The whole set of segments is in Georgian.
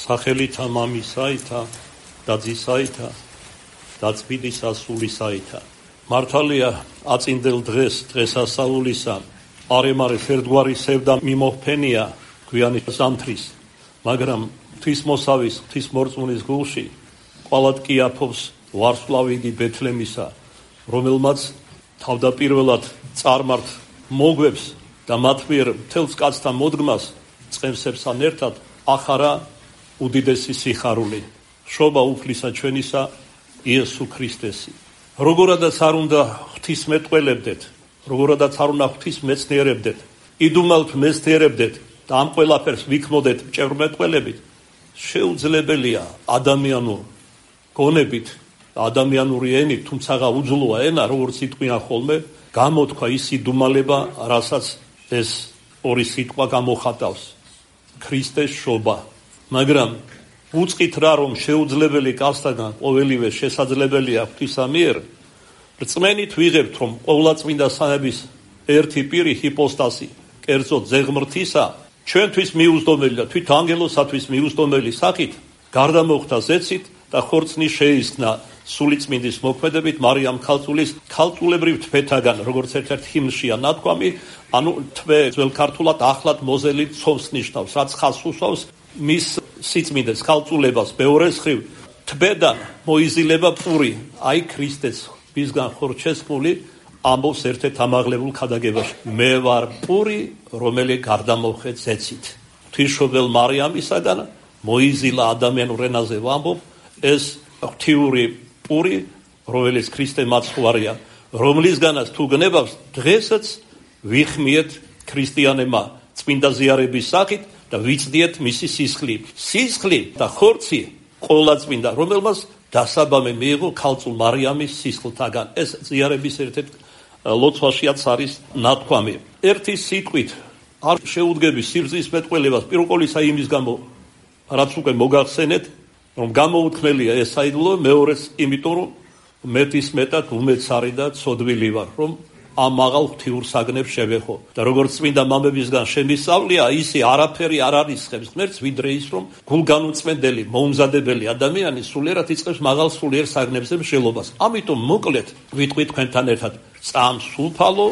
სახელითა მამისაითა და ძისაითა და წმინდისა სულისაითა. მართალია აწინდელ დღესასწაულისა არემარეს ერთგვარი სევდა მიმოჰფენია გვიანი ზამთრის, მაგრამ ღვთისმოსავის ღვთისმორწმუნის გულში ყვალად კი აფობს ვარსკვლავიდი ბეთლემისა, რომელმაც თავდაპირველად წარმართ მოგვებს და მათ მიერ მთელს კაცთა მოდგმას წყევსებსთან ერთად ახარა უდიდესი სიხარული, შობა უფლისა ჩვენისა იესო ქრისტესი. როგორადაც არ უნდა ღვთისმეტყველებდეთ, როგორადაც არ უნდა ღვთისმეცნიერებდეთ, იდუმალთ მეცნიერებდეთ და ამ ყველაფერს ვიქმოდეთ მჭევრმეტყველებით, შეუძლებელია ადამიანურ გონებით და ადამიანური ენით, თუმცა უძლოა ენა, როგორც იტყვიან ხოლმე, გამოთქვა ის იდუმალება, რასაც ეს ორი სიტყვა გამოხატავს. ქრისტეს შობა. მაგრამ უწყით რა, რომ შეუძლებელი კაცთაგან ყოველივე შესაძლებელია ღვთისა მიერ, რწმენით ვიღებთ, რომ ყოვლადწმინდა სამების ერთი პირი ჰიპოსტასი, კერძოდ ზეღმრთისა, ჩვენთვის მიუძდომელი და თვით ანგელოსათვის მიუძდომელი სახით გარდამოხდა ზეცით და ხორცნი შეისხნა სულიწმინდის მოქმედებით მარიამ ქალწულის ქალწულებრივ თვეთაგან, როგორც ერთ-ერთ ჰიმნშია ნათქვამი, ანუ თვე ძველ ქართულად ახლად მოზელი ცომს ნიშნავს, რაც ხაზს უსვავს მის სიწმინდეს ქალწულებას ბევრეს ხრივ თბედან მოიზილება პური, აი ქრისტეს მისგან ხორჩესმული ამბობს ერთ-ერთ ამაღლებულ ქადაგებაში, მე ვარ პური, რომელიც გარდამოხეთ ზეცით. ღვთისმშობელ მარიამისაგან მოიზილა ადამიანურ ენაზე ვამბობ ეს ღვთიური პური, რომელიც ქრისტე მაცხვარია, რომლისგანაც თუ გნებავს დღესაც ვიხმიეთ ქრისტიანებმა წმინდა ზიარების სახით და ვიცდიეთ მისი სისხლი. სისხლი და ხორცი ყოვლადწმინდა, რომელმაც დასაბამი მიიღო ქალწულ მარიამის სისხლთაგან. ეს ზიარების ერთ-ერთ ლოცვაშიაც არის ნათქვამი. ერთი სიტყვით არ შეუდგები სიბრძნის მეტყველებას, პირველ ყოვლისა იმის გამო, რაც უკვე მოგახსენეთ, რომ გამოუთქმელია ეს საიდუმლო, მეორეს იმიტომ, რომ მეტის მეტად უმეცარი და ცოდვილი ვარ, რომ ამ მაღალ ღვთიურ საგნებს შევეხო. და როგორც წმინდა მამებისგან შემისწავლია, ისე არაფერი არ არისხებს ღმერთს, ვიდრე ის, რომ გულგანუწმენდელი, მოუმზადებელი ადამიანი სულიერად იწყებს მაღალ სულიერ საგნებზე მსჯელობას. ამიტომ მოკლედ ვიტყვით თქვენთან ერთად, წამს უფალო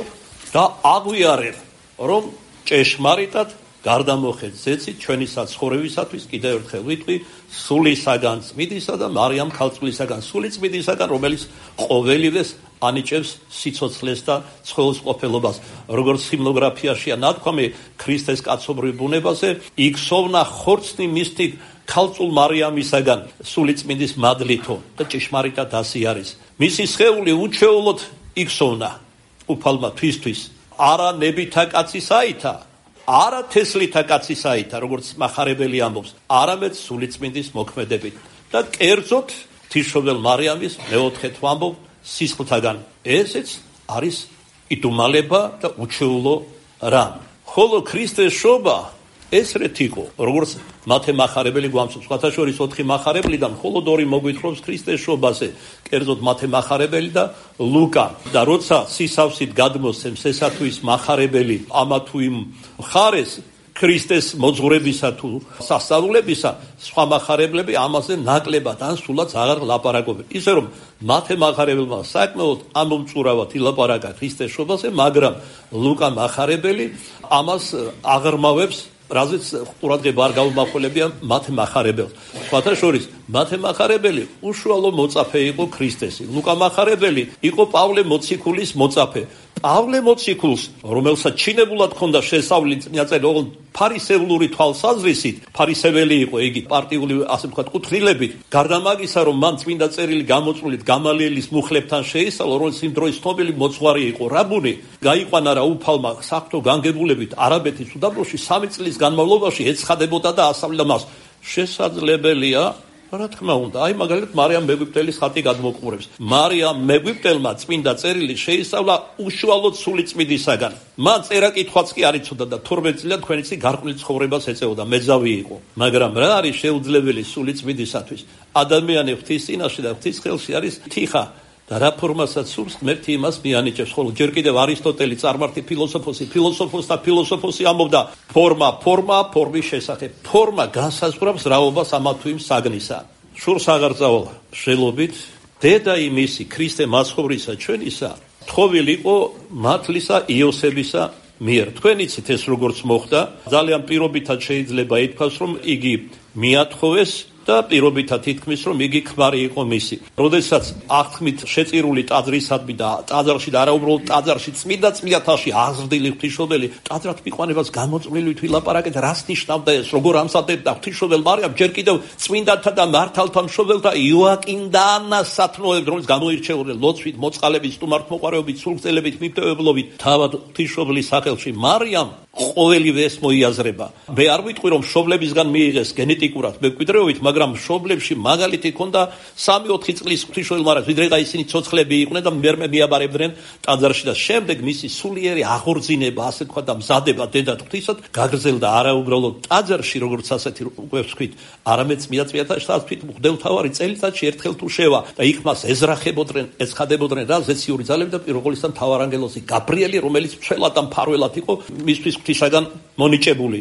და აღვიარებ, რომ ჭეშმარიტად გარდამოხეთ ზეცით ჩვენი საცხოვრებისათვის. კიდევ ერთხელ ვიტყვი, სულისაგან წმინდისა და მარიამ ქალწულისაგან სულიწმინდისაგან, რომელიც ყოველივეს ანიჭებს სიცოცხლეს და ცხოველს ყოფილობას. როგორც ჰიმნოგრაფიაშია ნათქვამი ქრისტეს კაცობრიურ ბუნებაზე, იქსოვნა ხორცნი მისთი ქალწულ მარიამისაგან სულიწმინდის მადლითო და ჭეშმარიტად ასე არის. მისი სხეული უჩვეულოდ იქსოვნა უფალმა თვისთვის, არა ნებითა კაცისაითა, არა თესლითა კაცისაითა, როგორც მახარებელი ამბობს, არამედ სულიწმინდის მოქმედებით და კერძოდ ღვთისმშობელ მარიამის მეოთხედ ვამბობ სისხლთაგან. ესეც არის იდუმალება და უჩვეულო რამ. ხოლო ქრისტეს შობა ესრეთ იყო, როგორც მათე მახარებელი გვამცნობს, სხვათა შორის 4 მახარებლიდან მხოლოდ 2 მოგვითხრობს ქრისტეს შობაზე, კერძოდ მათე მახარებელი და ლუკა. და როცა სისავსით გადმოსცემს ესა თუ ის მახარებელი ამა თუ იმ მხარეს ქრისტეს მოძღვრებისა თუ სასწაულებისა, სხვა მახარებლები ამაზე ნაკლებად ან სულაც აღარ ლაპარაკობენ. ისე რომ მათე მახარებელმა საკმაოდ ამომწურავად ილაპარაკა ქრისტეს შობაზე, მაგრამ ლუკა მახარებელი ამას აღრმავებს, რაზეც ყურადღება არ გაუმახვილებია მათე მახარებელს. სხვათა შორის მათე მახარებელი უშუალო მოწაფე იყო ქრისტესი. ლუკა მახარებელი იყო პავლე მოციქულის მოწაფე. პავლე მოციქულს, რომელსაც ჩინებულად ჰქონდა შესავლი წინაწელი ოღონდ ფარისევლური თვალსაზრისით, ფარისეველი იყო იგი პარტიული, ასე ვთქვათ, კუთვნილებით, გარდა მაგისა, რომ მან წმინდა წერილი გამოწვევით გამალიელის მუხლებთან შეისწავლა, რომელიც იმ დროის ცნობილი მოძღვარი იყო, რაბუნი, გაიყვანა რა უფალმა საღვთო განგებულებით არაბეთის უდაბნოში 3 წლის განმავლობაში ეცხადებოდა და ასწავლიდა მას. შესაძლებელია, რა თქმა უნდა, აი მაგალითად მარიამ მეგვიპტელის ხატი გადმოყურებს. მარიამ მეგვიპტელმა წმინდა წერილი შეისწავლა უშუალოდ სულიწმინდისაგან. მან წერა-კითხვაც კი არ იცოდა და 12 წლიდან თქვენიცი გარყვნილ ცხოვრებას ეწეოდა, მეძავი იყო. მაგრამ რა არის შეუძლებელი სულიწმინდისათვის? ადამიანი ღვთის წინაშე და ღვთის ხელში არის თიხა და რა ფორმასაც სურს, ღმერთი იმას მიანიჭებს. ხოლო ჯერ კიდევ არისტოტელი წარმართი ფილოსოფოსი ამბობდა ფორმის შესახებ. ფორმა განსაზღვრავს რაობას ამა თუ იმ საგნისა. შურს აღარ წავალ შელობით, დედა იმისი ქრისტე მაცხოვრისა ჩვენისა, თხოვილი იყო მართლისა იოსებისა მიერ. თქვენ იცით ეს როგორც მოხდა, ძალიან პირობითად შეიძლება ითქვას, რომ იგი მიათხოვეს და პირობითად ითქმის, რომ იგი ქმარი იყო მისი. როდესაც აღთქმით შეწირული ტაძრისადმი და ტაძარში და არაუბრალოდ ტაძარში წმინდა წმინდათაში აზრდილი ღვთისმშობელი ტაძრად მიყვანებას გამოწვლილივით ვილაპარაკეთ, რას ნიშნავდა ეს, როგორ ამზადებდა ღვთისმშობელ მარიამ ჯერ კიდევ წმინდათა და მართალთა მშობელთა იოაკიმ და ანას სათნოებით, რომელიც გამოირჩეოდნენ ლოცვით, მოწყალებით, სტუმართმოყვარეობით, სულგრძელებით, მიფტევებლობით, თავად ღვთისმშობლის სახელში მარიამ ყოველივე ეს მოიაზრება. მე არ ვიტყვი, რომ მშობლებისგან მიიღეს გენეტიკურად მემკვიდრეობით, მაგრამ მშობლებში მაგალითი ქონდა 3-4 წლის ღვთისმშობელ მარიამს, ვიდრე და ისინი ცოცხლები იყვნენ და მერმე მიაბარებდნენ ტაძარში და შემდეგ მისი სულიერი აღორძინება, ასე თქვა და მზადება დედა ღვთისად გაგრძელდა არაუბრალოდ ტაძარში, როგორც ასეთი უკვე ვთქვით, არამედ წმინდა წმინდათაშიც ვთქვით, მღვდელმთავარი წელიწადში ერთხელ თუ შევა და იქ მას ეძრახებოდნენ, ეცხადებოდნენ რა ზეციური ძალები და პირველყოლისთან მთავარანგელოზი გაბრიელი, რომელიც მცველად და მფარველად იყო მისთვის ღვთისაგან მონიჭებული.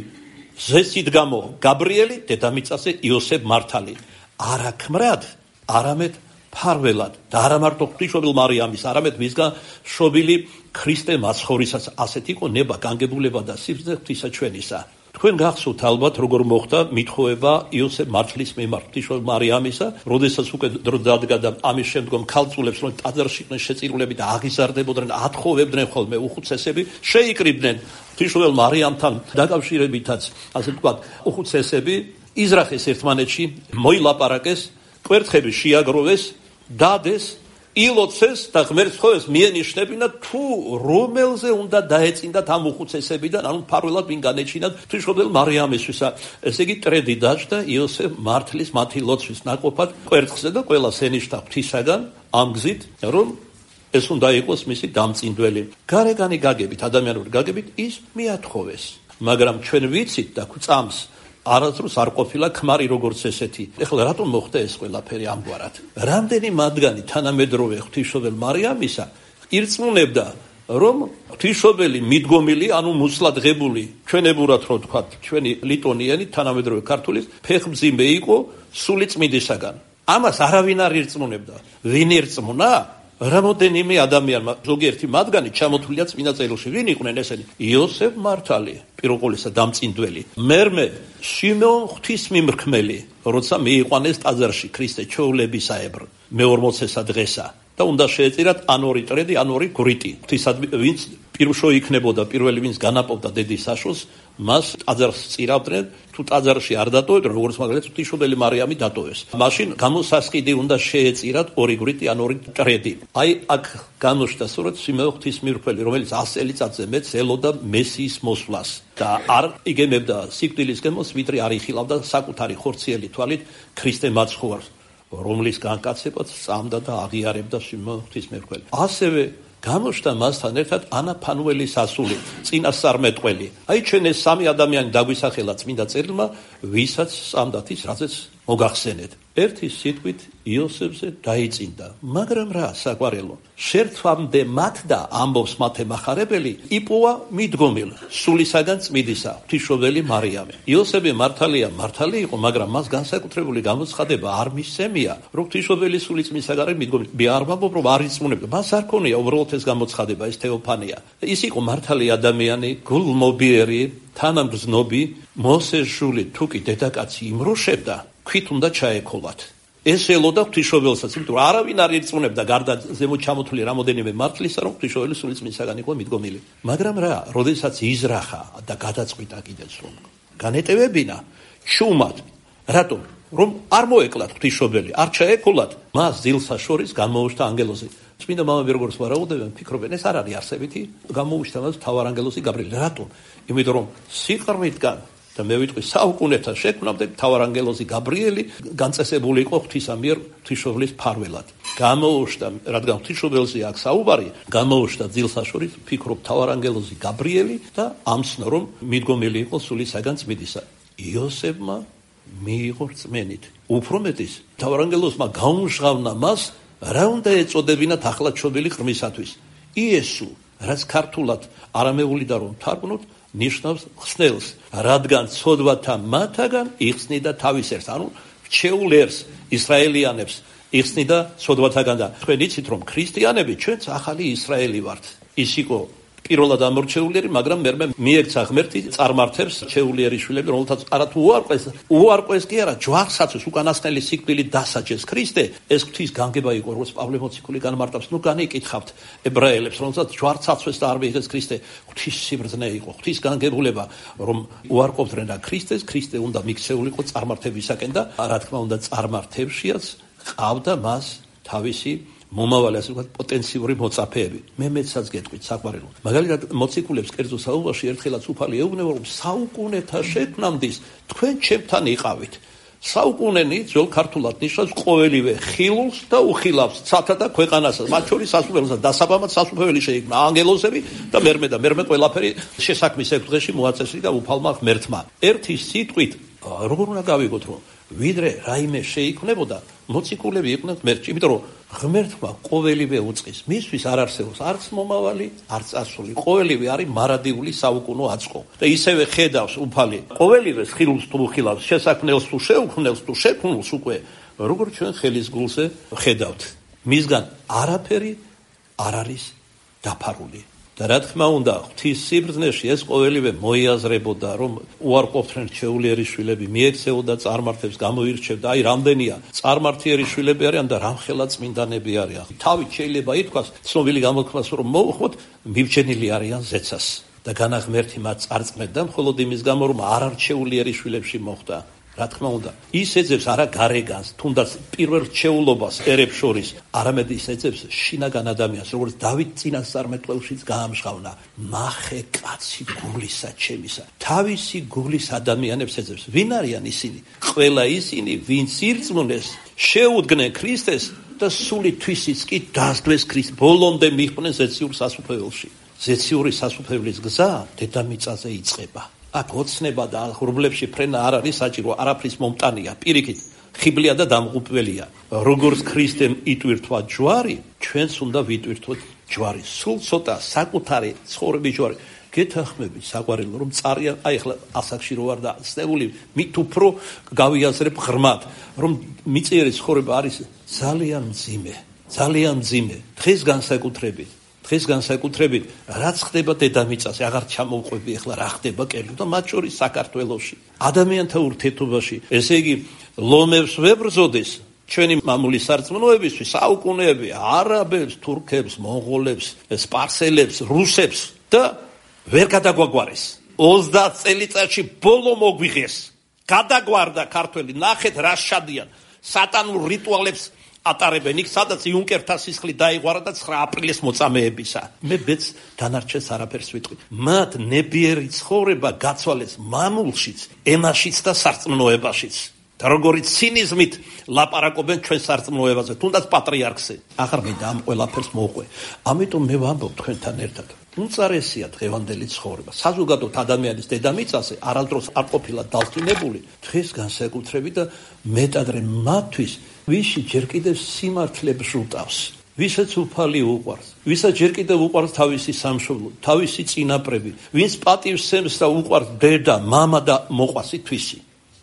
ზესით გამო გაბრიელი, დედამიწაზე იოსებ მართალი. არა ქმრად, არამედ ფარველად და არა მარტო ღვთისმშობელ მარიამის, არამედ მისგან შობილი ქრისტე მაცხოვრისაც. ასეთ იყო ნება, განგებულება და სიბრძნე ღვთისა ჩვენისა. თქვენ გახსოვთ ალბათ, როგორ მოხდა მითხოვება იოსებ მართლის მიმართ ღვთისმშობელ მარიამისა, როდესაც უკვე დრო დადგა და ამის შემდგომ ქალწულებს, რომ ტაძარში იყვნენ შეწირულები და აღიზარდებოდნენ, ათხოვებდნენ ხოლმე უხუცესები, შეიკრიბდნენ ღვთისმშობელ მარიამთან დაკავშირებითაც, ასე ვთქვათ, უხუცესები იზრახეს ერთმანეთში, მოილაპარაკეს, კვერთხები შეაგროვეს, დადეს, ილოცეს და ღმერთს თხოვეს მიენიშნებინა თუ რომელზე უნდა დაეწინდათ ამ უხუცესებიდან, ანუ ფარველად ვინ განეჩინათ ღვთისმშობელ მარიამისთვისა. ესე იგი ტრედი დაჭდა იოსებ მართლის მათი ლოცვის ნაკოფად კვერთხზე და ყველას ენიშნა ღვთისაგან ამ გზით, რომ ეს უნდა იყოს მისი დამწინდველი. გარეგანი გაგებით, ადამიანური გაგებით ის მიათხოვეს. მაგრამ ჩვენ ვიცით და გვწამს არასდროს არ ყოფილა ქმარი როგორც ესეთი. ეხლა რატომ მოხდა ეს ყველაფერი ამგვარად? რამდენი მათგანი თანამედროვე ღვთისმშობელ მარიამისა ირწმუნებდა, რომ ღვთისმშობელი მიდგომილი, ანუ მუცლადღებული, ჩვენებურად რო ვთქვათ, ჩვენი ლიტონიანი თანამედროვე ქართულის ფეხმძიმე იყო სული წმინდისაგან. ამას არავინ არ ირწმუნებდა. ვინ ირწმუნა? რამოდენიმე ადამიანმა, ზოგიერთი მათგანი ჩამოთვლილია წმინდა წერილში. ვინ იყვნენ ესენი? იოსებ მართალი, პირველყოლისა დამწინდველი. მერმე შიმეონ ღვთისმიმრქმელი, როცა მიიყვანეს ტაძარში ქრისტე ჩვეულებისაებრ, მე-40 დღესა და უნდა შეეწირათ ან ორი ტრედი, ან ორი გვრიტი. ღვთისადმი, ვინც პირშო იქნებოდა, პირველი ვინც განაპოვდა დედის საშოს, მას ტაძარს წირავდნენ, თუ ტაძარში არ დატოვებდნენ, როგორც მაგალითად ღვთისმშობელი მარიამი დატოვეს. მაშინ გამოსასყიდი უნდა შეეწირათ ორი გვრიტი ან ორი ტრედი. აი აქ გამოჩნდა სწორედ სიმეონ ღვთისმირქმელი, რომელიც 100 წელიწადზე მეც ელოდა მესიის მოსვლას და არ იგემებდა სიკვდილის გემოს, ვიდრე არ იხილავდა საკუთარი ხორციელი თვალით ქრისტე მაცხოვარს, რომლის განკაცებაც სწამდა და აღიარებდა სიმეონ ღვთისმირქმელი. ასევე გამოჩნდა მასთან ერთად ანა ფანუელის ასული, წინასწარმეტყველი. აი ჩვენ ეს სამი ადამიანი დაგვისახელა წმინდა წერილმა, ვისაც სწამდათ ის, რაზეც მოგახსენეთ. ერთი სიტყვით იოსებზე დაიწინდა, მაგრამ რა საყვარელო, შერთვამდე მათ და ამბობს მათე მახარებელი, იპოვა მიდგომილ სულისაგან წმინდისა, ღვთისმშობელი მარიამი. იოსები მართალი იყო, მაგრამ მას განსაკუთრებული გამოცხადება არ მისცემია, რომ ღვთისმშობელი სული წმინდისაგან არის მიდგომილი. მე არ ვამბობ, რომ არ იწმუნებდა, მას არ ქონია უბრალოდ ეს გამოცხადება, ეს თეოფანია. ის იყო მართალი ადამიანი, გულმობიერი, თანამგზნობი, მოსეს ჟული თუ კი დედაკაცი იმროშებდა, ქვით უნდა ჩაეკოლათ. ეს ელოდა ღვთისმშობელსაც, იმიტომ რომ არავინ არ ირწმუნებდა გარდა ზემოთ ჩამოთვლილი რამოდენიმე მართლისა, რომ ღვთისმშობელი სული წმინდისაგან იყო მიდგომილი. მაგრამ რა, როდესაც იზრახა და გადაწყვიტა კიდეც რომ განეტევებინა ჩუმად, რატომ? რომ არ მოეკლათ ღვთისმშობელი, არ ჩაეკოლათ, მას დილსა შორის გამოუშვთა ანგელოზი. წმინდა მამები როგორც ვარაუდობენ, ფიქრობენ, ეს არ არის არსებითი, გამოუშვთა მას მთავარანგელოზი გაბრიელი. რატომ? იმიტომ რომ სიყრმიტგან და მე ვიტყვი საუკუნეთა შექმნამდე მთავარანგელოზი გაბრიელი განწესებული იყო ღვთისა მიერ ღვთისმშობლის ფარველად. გამოუშვთა, რადგან ღვთისმშობელზე აქ საუბარი, გამოუშვთა დილსაშორის, ფიქრობ მთავარანგელოზი გაბრიელი და ამცნო რომ მიდგომილი იყო სულისაგან წმინდისა. იოსებმა მიიღო რწმენით. უფრო მეტის, მთავარანგელოზმა გაუმჟღავნა მას რა უნდა ეწოდებინათ ახლა ჩობილი ღმისათვის? იესო, რაც ქართულად არამეულიდან რომ თარგმნოთ, ნიშნავს ხსნელს, რადგან ცოდვათა მათაგან იხსნიდა თავის ერს, ანუ რჩეულ ერს, ისრაელიანებს იხსნიდა ცოდვათაგან და თქვენ იცით რომ ქრისტიანები ჩვენც ახალი ისრაელი ვართ. ის იყო პირველად ამორჩეულიერი, მაგრამ მერმე მიექცა ღმერთი წარმართებს რჩეულიერი შვილები, რომელთაც არათუ უარყვეს კი არა, ჯვარსაცოს უკანასკნელი სიკვდილით დასაჯეს ქრისტე, ეს ღვთის განგება იყო, როგორც პავლე მოციქული განმარტავს, განიკითხავთ ებრაელებს, რომელთაც ჯვარსაცოს და არ მიიღეს ქრისტე, ღვთის სიბრძნე იყო, ღვთის განგებულება, რომ უარყოფდნენ და ქრისტე უნდა მიქცეულიყო წარმართებისაკენ და რა თქმა უნდა წარმართებშიაც ყავდა მას თავისი მომავალი, ასე ვთქვათ, პოტენციური მოწაფეები. მე მეცაც გეტყვით საყვარელო. მაგალითად, მოციქულებს კერძო საუბარში ერთხელაც უფალი ეუბნება, რომ საუკუნეთა შექმნამდე თქვენ ჩემთან იყავით. საუკუნენი ძველ ქართულად ნიშნავს ყოველივე ხილულს და უხილავს, ცათა და ქვეყანასაც, მათ შორის სასუფეველსაც, დასაბამად სასუფეველი შეიქმნა ანგელოზები და მერმე ყველაფერი შესაქმის ერთ დღეში მოაწესრიგა უფალმა ღმერთმა. ერთი სიტყვით როგორ უნდა გავიგოთ, რომ ვიდრე რაიმე შეიქმნებოდა, მოციქულები იყვნენ ღმერთში, იმიტომ რომ ღმერთმა ყოველივე უწყის, მისთვის არ არსებობს არც მომავალი, არც წარსული, ყოველივე არის მარადიული საუკუნო აწყო. და ისევე ხედავს უფალი ყოველივეს ხილულს თუ უხილავს, შესაქმნელს თუ შეუქმნელს თუ შექმნულს უკვე, როგორც ჩვენ ხელის გულზე ხედავთ. მისგან არაფერი არ არის დაფარული. და რა თქმა უნდა, ღვთის სიბრძნეში ეს ყოველივე მოიაზრებოდა, რომ უარყოფდნენ რჩეულიერი შვილები, მიექცეოდა წარმართებს, გამოირჩევდა, აი რამდენია წარმართიერი შვილები არიან და რამხელა წმინდანები არიან. თავით შეიძლება ითქვას, ცნობილი გამოთქმას რომ მოუხმოთ, მიბჯენილი არიან ზეცას და განაღმერთი მათ წარწმენდა, მხოლოდ იმის გამო, რომ არარჩეულიერი შვილებში მოხვდა. რა თქმა უნდა, ის ეძებს არა გარეგანს, თუნდაც პირველ რჩეულობას ერებს შორის, არამედ ის ეძებს შინაგან ადამიანს, როგორც დავით წინასწარმეტყველშიც გაამჟღავნა, ნახე კაცი გულისა ჩემისა. თავისი გულის ადამიანებს ეძებს. ვინ არიან ისინი? ყველა ისინი, ვინც ირწმუნეს, შეუდგნენ ქრისტეს და სული თვისიც კი დასდვეს ქრისტეს, ბოლომდე მიჰყვნენ ზეციურ სასუფეველში. ზეციური სასუფეველის გზა დედამიწაზე იწყება. აქ ოცნება და ღრუბლებში ფრენა არ არის საჭირო, არაფრის მომტანია, პირიქით, ხიბლია და დამღუპველია. როგორც ქრისტემ იტვირთვა ჯვარი, ჩვენც უნდა ვიტვირთოთ ჯვარი. სულ ცოტა საკუთარი ცხოვრების ჯვარი. გეთანხმებით საყვარელო, რომ წარია, აი ახლა ასაკში რო ვარ და ცნეული, მით უფრო გავიაზრებ ღრმად, რომ მიწიერი ცხოვრება არის ძალიან მძიმე. დღეს განსაკუთრებით, რაც ხდება დედამიწაზე, აღარ ჩამოვყვები ახლა რა ხდება კერძო და მათ შორის საქართველოში. ადამიანთა ურთიერთობაში, ესე იგი, ლომებს ვებრძოდეს ჩვენი მამული სარწმუნოებისთვის, საუკუნეები, არაბებს, თურქებს, მონღოლებს, სპარსელებს, რუსებს და ვერ გადაგვაგვარეს. 30 წელიწადში ბოლო მოგვიღეს. გადაგვარდა ქართველი, ნახეთ რა შადიან. სატანურ რიტუალებს ატარებენ იქ, სადაც იუნკერთა სისხლი დაიღვარა და 9 აპრილის მოწამეებისა. მე ბედს დანარჩენს არაფერს ვიტყვი. მათ ნებიერი ცხოვრება გაცვალეს მამულშიც, ენაშიც და სარწმუნოებაშიც. და როგორი ცინიზმით ლაპარაკობენ ჩვენ სარწმუნოებაზე, თუნდაც პატრიარქზე. აღარ მინდა ამ ყველაფერს მოვყვე. ამიტომ მე ვამბობ თქვენთან ერთად, უწარესია დღევანდელი ცხოვრება. საზოგადოებრივ ადამიანის დედამიწაზე არასდროს არ ყოფილა დასწინებული, დღეს განსაკუთრებით და მეტადრე მათთვის, ვისი ჯერ კიდევ სიმართლე ბჟუტავს, ვისაც უფალი უყვარს, ვისაც ჯერ კიდევ უყვარს თავისი სამშობლო, თავისი წინაპრები, ვინც პატივს სცემს და უყვარს დედა, მამა და მოყვასი თვისი.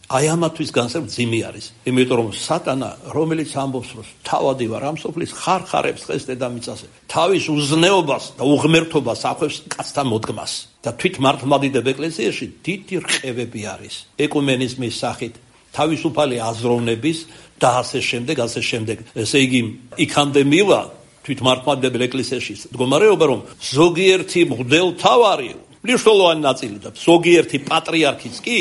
აი ამათვის განსაკუთრებული არის, იმიტომ რომ სატანა, რომელიც ამბობს, რომ თავადი ვარ ამ სოფლის ხარხარებს დღეს დედამიწაზე, თავის უზნეობას და უღმერთობას ახვევს კაცთა მოდგმას და თვით მართლმადიდებ ეკლესიაში დიდი რყევები არის ეკუმენიზმის სახით, თავისუფალი აზროვნების და ასე შემდეგ. ესე იგი, იქამდე მივა თვით მართლმადიდებელ ეკლესიაში მდგომარეობა, რომ ზოგიერთი მღვდელმთავარი, მნიშვნელოვანი ნაწილი და ზოგიერთი პატრიარქიც კი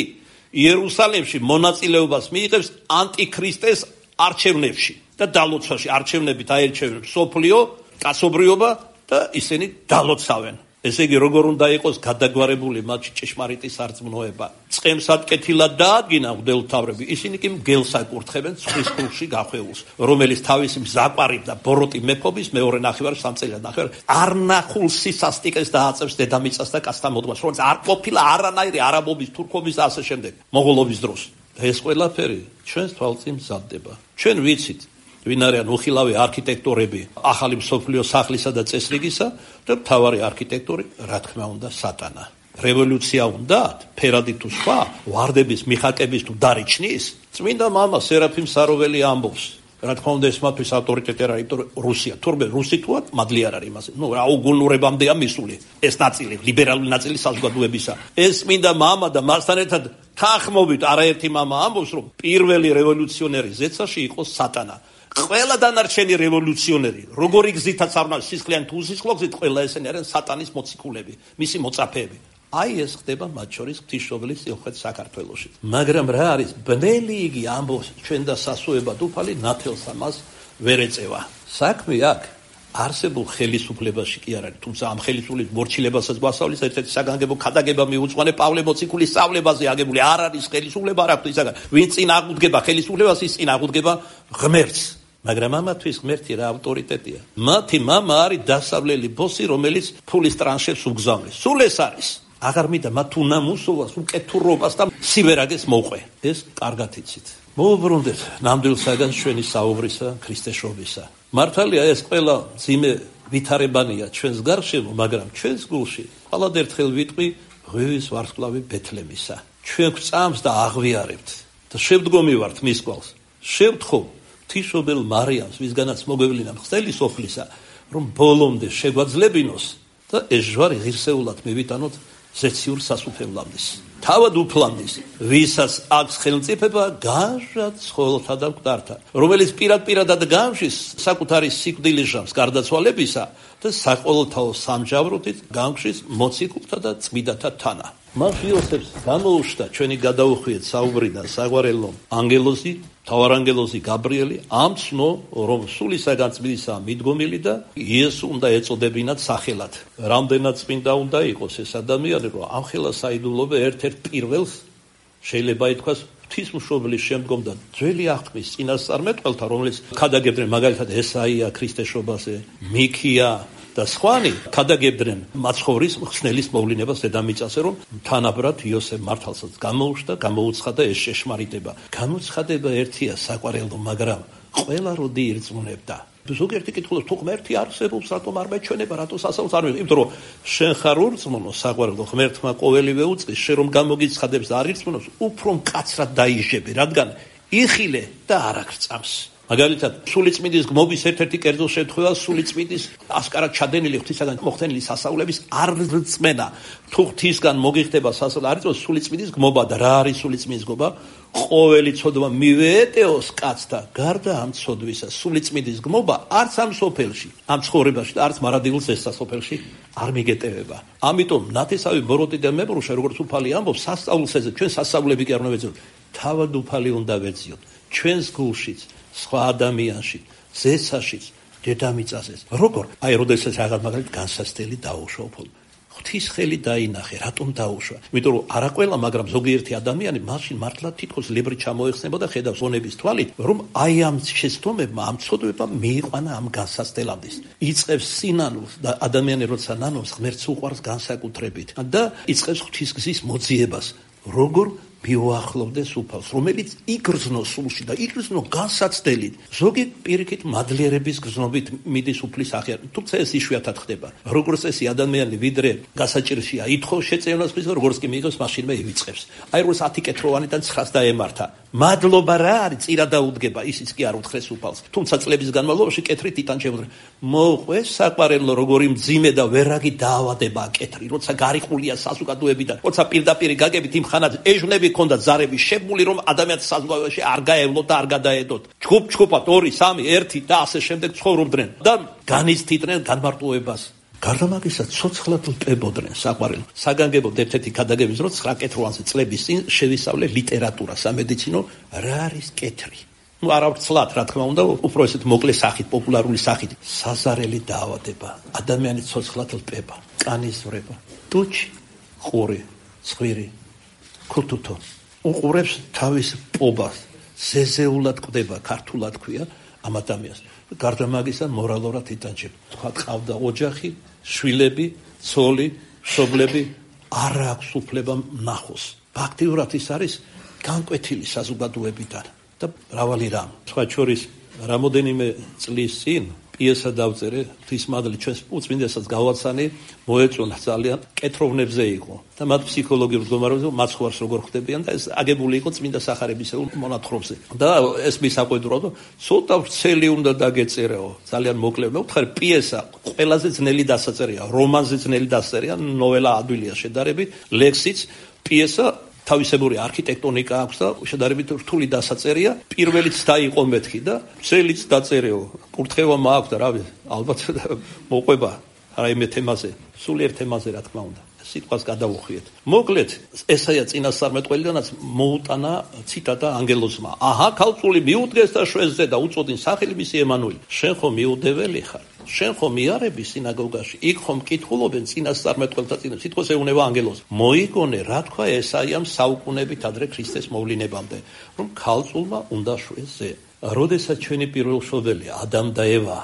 იერუსალიმში მონაწილეობას მიიღებს ანტიქრისტეს არჩევნებში და დალოცვაში. არჩევნებით აერჩევებს სოფლიო, კაცობრიობა და ისინი დალოცავენ. ესე იგი, როგორ უნდა იყოს გადაგვარებული მათში ჭეშმარიტი სარწმუნოება. წყემსად კეთილად დაადგინა მღვდელმთავრები, ისინი კი მგელს აკურთხებენ ცხრის ქულში გახვეულს, რომელიც თავისი მზაყარი და ბოროტი მეფობის მეორე ნახევარ არ ნახულ სისასტიკეს დააწევს დედამიწას და კაცთა მოდგმას, რომელიც არ ყოფილა არანაირი არაბობის, თურქობის და ასე შემდეგ, მონღოლობის დროს. ეს ყველაფერი ჩვენს თვალწინ მზადდება. ჩვენ ვიცით, ვინ არიან უხილავი არქიტექტორები ახალი მსოფლიო სახლისა და წესრიგისა და მთავარი არქიტექტორი, რა თქმა უნდა, სატანა. რევოლუცია უნდა, ფერადი თუ სხვა, ვარდების მიხაკების თუ დარიჩნის, წმინდა მამა სერაფიმ საროველი ამბობს. რა თქმა უნდა, ეს მათთვის ავტორიტეტი არ არის, იმიტომ რომ რუსია, თურმე რუსი თუა, მადლი არ არის იმაზე. რა უგულურებამდეა მისული ეს ნაწილი, ლიბერალური ნაწილი საზოგადოებისა. ეს წმინდა მამა და მასთან ერთად თანხმობით არაერთი მამა ამბობს, რომ პირველი რევოლუციონერი ზეცაში იყო სატანა. ყველა დანარჩენი რევოლუციონერი, როგორი გზითაც არ უნდა სისხლიან თუ უსისხლო გზით, ყველა ესენი არიან სატანის მოციქულები, მისი მოწაფეები. აი ეს ხდება მათ შორის ღვთისმშობლის სიუხვეთ საქართველოში. მაგრამ რა არის ბნელი იგი ამბობს ჩვენ და სასუებად უფალი ნათელს ამას ვერ ეწევა. საქმე აქ არსებულ ხელისუფლებაში კი არ არის, თუმცა ამ ხელისუფლების მორჩილებასაც გვასწავლის ერთ-ერთი საგანგებო ქადაგება მიუძღვანე პავლე მოციქულის სწავლებაზე აგებული. არ არის ხელისუფლება, არ აქვს ისაგან. ვინ წინ აღუდგება ხელისუფლებას, ის წინ აღუდგება ღმერთს. მაგრამ ამათვის ღმერთი რა ავტორიტეტია? მათი მამა არის დასავლელი ბოსი, რომელიც ფულის ტრანშებს უგზავნის. სულ ეს არის. აღარ მინდა მათ უნამუსობას, უკეთურობას და სივერაგეს მოყვე. ეს კარგად იცით. მოვუბრუნდეთ ნამდვილ საგანს ჩვენი საუბრისა, ქრისტეშობისა. მართალია ეს ყველა ძიმე ვითარებანია ჩვენს გარშემო, მაგრამ ჩვენს გულში ხალად ერთხელ ვიტყვი ღვივის ვარსკვლავი ბეთლემისა. ჩვენ გვწამს და აღვიარებთ და შევდგომი ვართ მის კვალს. შევთხო ღვთისმშობელ მარიამს, ვისგანაც მოგვევლინა მხსელი სოფლისა, რომ ბოლომდე შეგვაძლებინოს და ეს ჯვარი ღირსეულად მივიტანოთ ზეციურ სასუფევლამდის. თავად უფლამდის, ვისაც აქვს ხელმწიფება განშად ცხოველთა და მკვდართა, რომელიც პირადად გამშის საკუთარი სიკვდილის ჟამს გარდაცვალებისა და საყოველთაო სამჯავროთით გამშის მოციქულთა და წმიდათა თანა. მას იოსებს გამოუშთა ჩვენი გადაუხვიეთ საუბრიდან საგვარელო ანგელოზი, მთავარანგელოზი გაბრიელი, ამცნო, რომ სულისაგან წმინდისაა მიდგომილი და იესო უნდა ეწოდებინათ სახელად. რამდენად წმინდა უნდა იყოს ეს ადამიანი, რომ ამ ხელა საიდუმლოება ერთ-ერთ პირველს შეიძლება ითქვას ღვთისმშობლის შემდგომ და ძველი აღთქმის წინასწარმეტყველთა, რომელიც ქადაგებდნენ მაგალითად ესაია ქრისტეშობაზე, მიქია და სხვანი ქადაგებდნენ მაცხოვრის ხსნელის მოვლენებას დედამიწაზე, რომ თანაბრად იოსებ მართალსაც გამოუშთა, გამოუცხადა ეს შეშმარიტება. გამოცხადება ერთია საყვარელო, მაგრამ ყველა როდი ირწმუნებდა. ზოგიერთი კითხულობს, თუ ღმერთი არსებობს, რატომ არ მეჩვენება, რატო სასწაულს არ მივიღებ? იმიტომ რომ შენ ხარ ურწმუნო, საყვარელო, ღმერთმა ყოველივე უწყის, შენ რომ გამოგიცხადებს და არ ირწმუნოს, უფრო მკაცრად დაიჟები, რადგან იხილე და არ აღწამს. მაგალითად, სულიწმინდის გმობის ერთ-ერთი კერძო შემთხვევა სულიწმინდის ასკარად ჩადენილი ღვთისაგან მოხდენილი სასწაულების არ რწმენა. თუ ღვთისგან მოგიხდება სასწაული, არ იწვევს სულიწმინდის გმობა და რა არის სულიწმინდის გმობა? ყოველი ცოდვა მივეეტეოს კაცთა გარდა ამ ცოდვისა. სულიწმინდის გმობა არც ამ სოფელში, ამ ცხოვრებაში და არც მარადილ ზესასოფელში არ მიგეტევება. ამიტომ ნათესავი ბოროტი და მებრუშა, როგორც უფალი ამბობს, სასწაულს ეძებ, ჩვენ სასწაულები კი არ უნდა ვეძიოთ. თავად უფალი უნდა ვეძიოთ. ჩვენს გულშიც, სხვა ადამიანში, ზეცაშიც, დედამიწაზეც. როგორ? აი, როდესაც რაღაც მაგალითად განსასწრელი დაუშვა უფალმა. ღვთის ხელი დაინახე, რატომ დაუშვა? იმიტომ რომ არა ყველა, მაგრამ ზოგიერთი ადამიანი მაშინ მართლა თითქოს ლებრი ჩამოეხსნება და ხედავს ონების თვალით, რომ აი ამ შეცდომებმა, ამ ცოდვებმა მიიყვანა ამ განსასწრელამდის. იწყებს სინანულს და ადამიანი როცა ნანობს, ღმერთს უყვარს განსაკუთრებით და იწყებს ღვთის გზის მოძიებას. როგორ მიუახლოვდეს უფალს, რომელიც იგრძნოს სულში და იგრძნო განსაცდელით. ზოგი პირიქით მადლიერების გრძნობით მიდის უფლის აღიარება, თუმცა ეს იშვიათად ხდება. როგორც წესი ადამიანი ვიდრე გასაჭირშია ითხოვს შეწევნას ხმის, როგორც კი მიიღოს მაშინვე ივიწყებს. აი როგორც 10 კეთროვანიდან 9-ს დაემართა. მადლობა რა არის? წირა დაუდგება, ისიც კი არ უთხრეს უფალს. თუმცა წლების განმავლობაში კეთრით იტან შემოძრა. მოყვეს საყვარელო, როგორი მძიმე და ვერაგი დაავადება კეთრი, როცა გარიყულია საზოგადოებიდან, როცა პირდაპირ გაგებით იმ ხანად ეჟვნები ქონდა ზარები შებმული, რომ ადამიანს საზოგადოებაში არ გაევლოთ და არ გადაედოთ. ჩხუბ-ჩხუბად 2, 3, 1 და ასე შემდეგ ცხოვრობდნენ და განიცდიდნენ განმარტოებას. გარდა მაგისა ცოცხლად ლპებოდნენ საყვარელო. საგანგებოდ ერთ-ერთი ქადაგების დრო 9 კეთროვანზე წლების წინ შევისწავლე ლიტერატურა, სამედიცინო, რა არის კეთრი. არა ვცლად, რა თქმა უნდა, უფრო ესეთ მოკლე სახით, პოპულარული სახით. საზარელი დაავადება, ადამიანი ცოცხლად ლპება, კანის ვრება, ტუჩი, ყური, ცხვირი, ქუთუთო. უყურებს თავის პობას, ზეზეულად კვდება, ქართულად ქვია ამ ადამიანს. გარდა მაგისა მორალურად იტანჯება. თქვა ყავდა ოჯახი, შვილები, ცოლი, მშობლები, არ აქვს უფლება ნახოს. ფაქტიურად ის არის განკვეთილი საზოგადოებიდან და მრავალი რამ. სხვა შორის რამოდენიმე წლის წინ პიესა დავწერე ღვთისმადლი ჩვენს უწმინდესაც გავაცანი მოეწონა ძალიან კეთროვნებზე იყო და მათ ფსიქოლოგიურ მდგომარეობაზე მაცხვარს როგორ ხვდებიან და ეს აგებული იყო წმინდა სახარებისეულ მონათხრობზე და ეს მისაყვედურო ცოტა ვრცელი უნდა დაგეწერეო ძალიან მოკლე მევთხარი პიესა ყველაზე ძნელი დასაწერია რომანზე ძნელი დასაწერია ნოველა ადვილია შედარებით ლექსიც პიესა თავისებური არქიტექტონიკა აქვს და შედარებით რთული დასაწერია. პირველიც დაიყო მეთქი და წელიც დაწერეო. კურთხევა მაქვს და რავი, ალბათ მოყვება რაიმე თემაზე, სულიერ თემაზე რა თქმა უნდა. სიტყვას გადავუხიეთ. მოკლედ, ესაა წინასწარმეტყველიდანაც მოუტანა ციტატა ანგელოზმა. აჰა, ქალწული მიუდგეს და შვესზე და უწოდინ სახელი მისი ემანუელი. შენ ხომ მიუდეველი ხარ? შენ ხომ მიარები სინაგოგაში? იქ ხომ კითხულობენ წინასწარმეტყველთა წინ სიტყვას ეუნება ანგელოზს. მოიგონე, რა თქვა ესაიამ საუკუნეებით ადრე ქრისტეს მოვლინებამდე, რომ ქალწულმა უნდა შვესზე. როდესაც ჩვენი პირველშობილი ადამ და ევა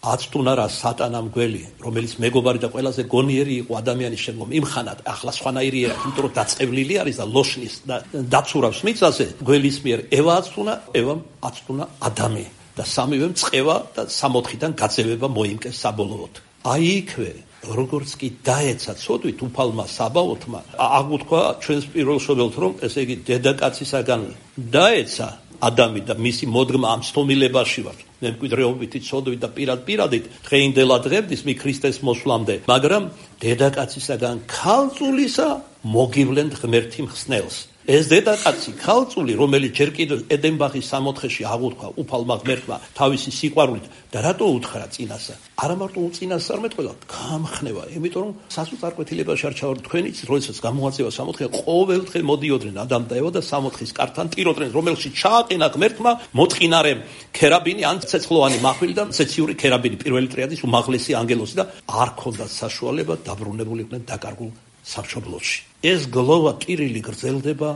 აცტუნა რა სატანამ გველი, რომელიც მეგობარი და ყველაზე გონიერი იყო ადამიანის შემდგომ იმხანად, ახლა სხვანაირი არა, იმიტომ რომ დაწყევლილი არის და ლოშნის და დაცურავს მიწაზე, გველის მიერ ევა აცტუნა, ევამ აცტუნა ადამი და სამივემ წყევა და სამოთხიდან გაძევება მოიმკეს საბოლოოდ. აი იქვე, როგორც კი დაეცა ცოდვით უფალმა საბაოთმა, აღუთქვა ჩვენს პირველშობილთ, რომ ესე იგი დედაკაცისაგან დაეცა ადამი და მისი მოდგმა ამ სტომილებაში ვარ. მემკვიდრეობითი ცოდვით და პირადით დღეინდელა დღემდის მი ქრისტეს მოსვლამდე, მაგრამ დედაკაცისაგან ქალწულისა მოგივლენთ ღმერთი მხსნელს. ეს დედაკაცი ქალწული, რომელიც ჯერ კიდევ ედენბახის სამოთხეში აღუთქვა უფალმა ღმერთმა თავისი სიყვარულით და რატო უთხრა წინასა? არა მარტო უწინასწარმეტყველად, გამხნევა, იმიტომ რომ სასუწარკვეთილებაში არ ჩავარდ თქვენიც, როდესაც გამოაწევა სამოთხე, ყოველდღე მოდიოდნენ ადამ და ევა და სამოთხის კართან ტიროდნენ, რომელშიც ჩააყენა ღმერთმა მოწყინარე ქერაბინი ან ცეცხლოვანი მახვილი და ცეციური ქერაბინი, პირველი ტრიადის უმაღლესი ანგელოზი და არ ქონდათ საშუალება დაბრუნებულიყვნენ დაკარგულ სამშობლოში. ეს გლოვა ტირილი გრძელდება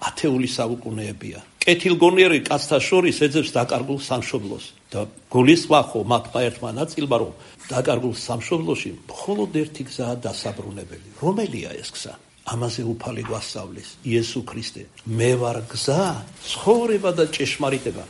ათეული საუკუნეებია. კეთილგონიერი კაცთა შორის ეძებს დაკარგულ სამშობლოს და გულისხმა ხო მათმა ერთმა ნაწილმა, რომ დაკარგულ სამშობლოში მხოლოდ ერთი გზაა დასაბრუნებელი. რომელია ეს გზა? ამაზე უფალი გვასწავლის იესო ქრისტე. მე ვარ გზა, ცხოვრება და ჭეშმარიტება.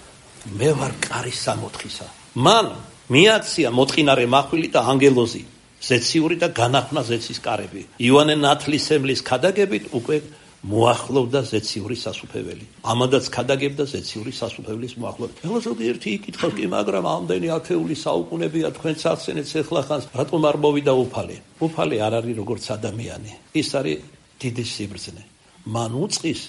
მე ვარ კარი სამოთხისა. მან მიაქცია მოწყინარე მახვილი და ანგელოზი. ზეციური და განახმნა ზეცის კარები. იოანე ნათლისმცემლის ქადაგებით უკვე მოახლოვდა ზეციური სასუფეველი. ამადაც ქადაგებდა ზეციური სასუფეველის მოახლოვებით. ეხლა ზოგიერთი იკითხავს, კი მაგრამ ამდენი ათეული საუკუნეებია თქვენც ახსენეთ ეხლახანს, რატომ არ მოვიდა უფალი? უფალი არ არის როგორც ადამიანი. ის არის დიდი სიბრძნე. მან უწყის,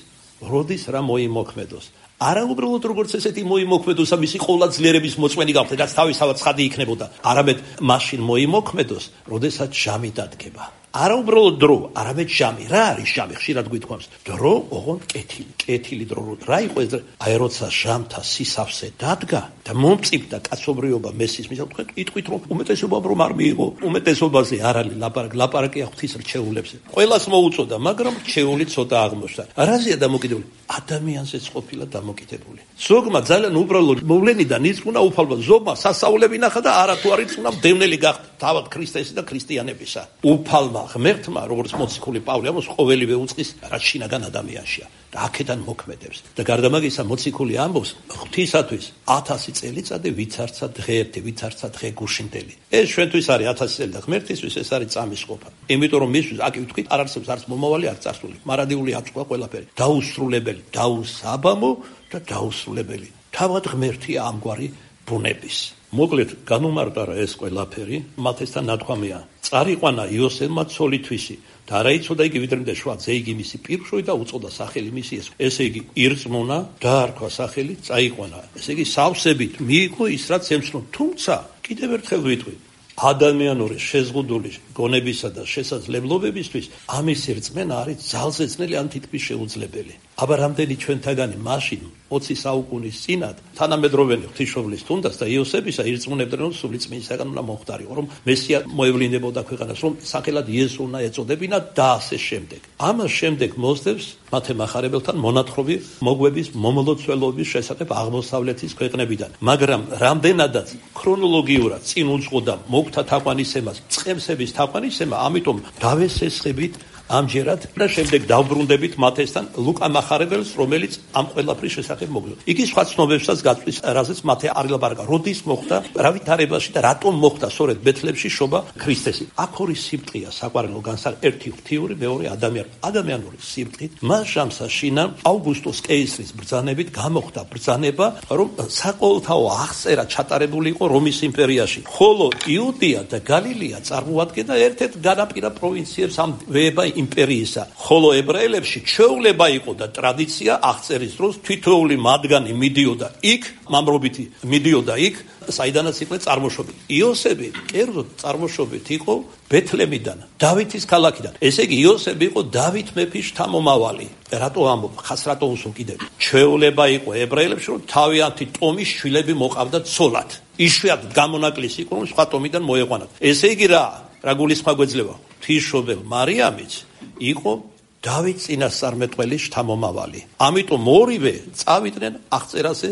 როდის რა მოიმოქმედოს. არა უბრალოდ როგორც ესეთი მოიმოქმედოს, მისი ყოლა ძლიერების მოწმენი გახდა, რაც თავისთავად ცხადი იქნებოდა. არამედ მაშინ მოიმოქმედოს, როდესაც ჟამი დადგება. არა უბრალოდ დრო, არამედ ჟამი. რა არის ჟამი? ხშირად გვითხოვს. დრო, ოღონდ კეთილი. კეთილი დრო. რა იყო ეს? აი როცა ჟამთა სისავსე დადგა და მომწიფდა კაცობრიობა მესის მისად, თქვენ იტყვით, რომ უმეტესობამ რომ არ მიიღო. უმეტესობაზე არ არის ლაპარაკია ღვთის რჩეულებზე. ყველას მოუწოდა, მაგრამ რჩეული ცოტა აღმოჩნდა. რაზეა დამოკიდებული? ადამიანზეც ყოფილა დამოკიდებული. ზოგმა ძალიან უბრალოდ მოვლენიდან იწუნა უფალმა, ზოგმა სასწაულები ნახა და არა თუ არ იწუნა მდევნელი გახდა თავად ქრისტესი და ქრისტიანებისა. უფალმა ღმერთმა, როგორც მოციქული პავლე ამბობს, ყოველივე უწყის, რაც შინაგან ადამიანშია და აქედან მოქმედებს. და გარდა მაგისა მოციქული ამბობს, ღვთისათვის 1000 წელიწადი ვიცარცა დღე ერთი, ვიცარცა დღე გუშინდელი. ეს ჩვენთვის არის 1000 წელი და ღმერთისთვის ეს არის წამის ყოფა. იმიტომ რომ მისთვის აქ ვთქვით, არ არსებობს არც მომავალი, არც წარსული. მარადიული აწვა ყველაფერი. დაუსრულებელი, დაუსაბამო და დაუსრულებელი. თავად ღმერთია ამგვარი ბუნების. მოკლედ განუმარტარა ეს ყველაფერი, მათესთან ნათქვამია. წარიყვანა იოსელმა ცოლითვისი და არა იცოდა იგი ვიდრემდე შვადზე, იგი მისი პირშოი და უწოდა სახელი მისი ეს. ესე იგი ირწმუნა, დაარქვა სახელი, წაიყვანა. ესე იგი სავსებით მიიღო ის რაც ემცნო. თუმცა კიდევ ერთხელ ვიტყვი, ადამიანური შეზღუდული გონებისა და შესაძლებლობებისთვის ამის რწმენა არის ძალზეწნელი ან თითქმის შეუძლებელი. აბა რამდენი ჩვენთაგანი მაშინ 20 საუკუნის წინათ თანამედროვენი ღვთისმშობლის თუნდაც და იოსებისა ირწმუნებდნენ, რომ სული წმინისაგან უნდა მომხდარიყო, რომ მესია მოევლინებოდა ქვეყანას, რომ სახელად იესო უნდა ეწოდებინა და ასე შემდეგ. ამას შემდეგ მოსდევს მათე მახარებელთან მონათხრობი მოგვების მომლოცველობის შესახებ აღმოსავლეთის ქვეყნებიდან. მაგრამ რამდენადაც ქრონოლოგიურად წინ უძღოდა მოგთა თაყვანისცემას, წყემსების თაყვანისცემა, ამიტომ დავესესხებით ამჯერად და შემდეგ დავბრუნდებით მათესთან ლუკა მახარებელს, რომელიც ამ ყველაფრის შესახებ მოგზაურობს. იგი სხვა ცნობებსაც გაწვის, რაზეც მათე არ ილაპარაკა. როდის მოხდა, რა ვითარებაში და რატომ მოხდა სწორედ ბეთლემში შობა ქრისტესი. აქ ორი სიმტყეა საყვარელო განსაკუთრებით, ერთი ღვთიური, მეორე ადამიანური სიმტყით. მას ჟამსაშინა ავგუსტუს კეისრის ბრძანებით გამოხდა ბრძანება, რომ საყოველთაო აღწერა ჩატარებული იყო რომის იმპერიაში. ხოლო იუდეა და გალილეა წარმოადგენდა ერთ-ერთ განაპირა პროვინციებს ამ ვეება იმპერიისა. ხოლო ებრაელებში ჩვეულება იყო და ტრადიცია აღწერის დროს თითოეული მათგანი მიდიოდა იქ, მამრობითი მიდიოდა იქ, საიდანაც იყო წარმოშობით. იოსები კერძოდ წარმოშობით იყო ბეთლემიდან, დავითის ქალაქიდან. ესე იგი იოსები იყო დავით მეფის შთამომავალი. რატო ამბობ? ხას რატო უსო კიდევ? ჩვეულება იყო ებრაელებში, რომ თავიანთი ტომის შვილები მოყავდათ ცოლად. იშვიათად გამონაკლისი იყო, რომ სხვა ტომიდან მოეყვანათ. ესე იგი რა გულისხმობა გვეძლება? ღვთისმშობელ მარიამიც იყო დავით წინასწარმეტყველის შთამომავალი. ამიტომ ორივე წავიდნენ აღწერაზე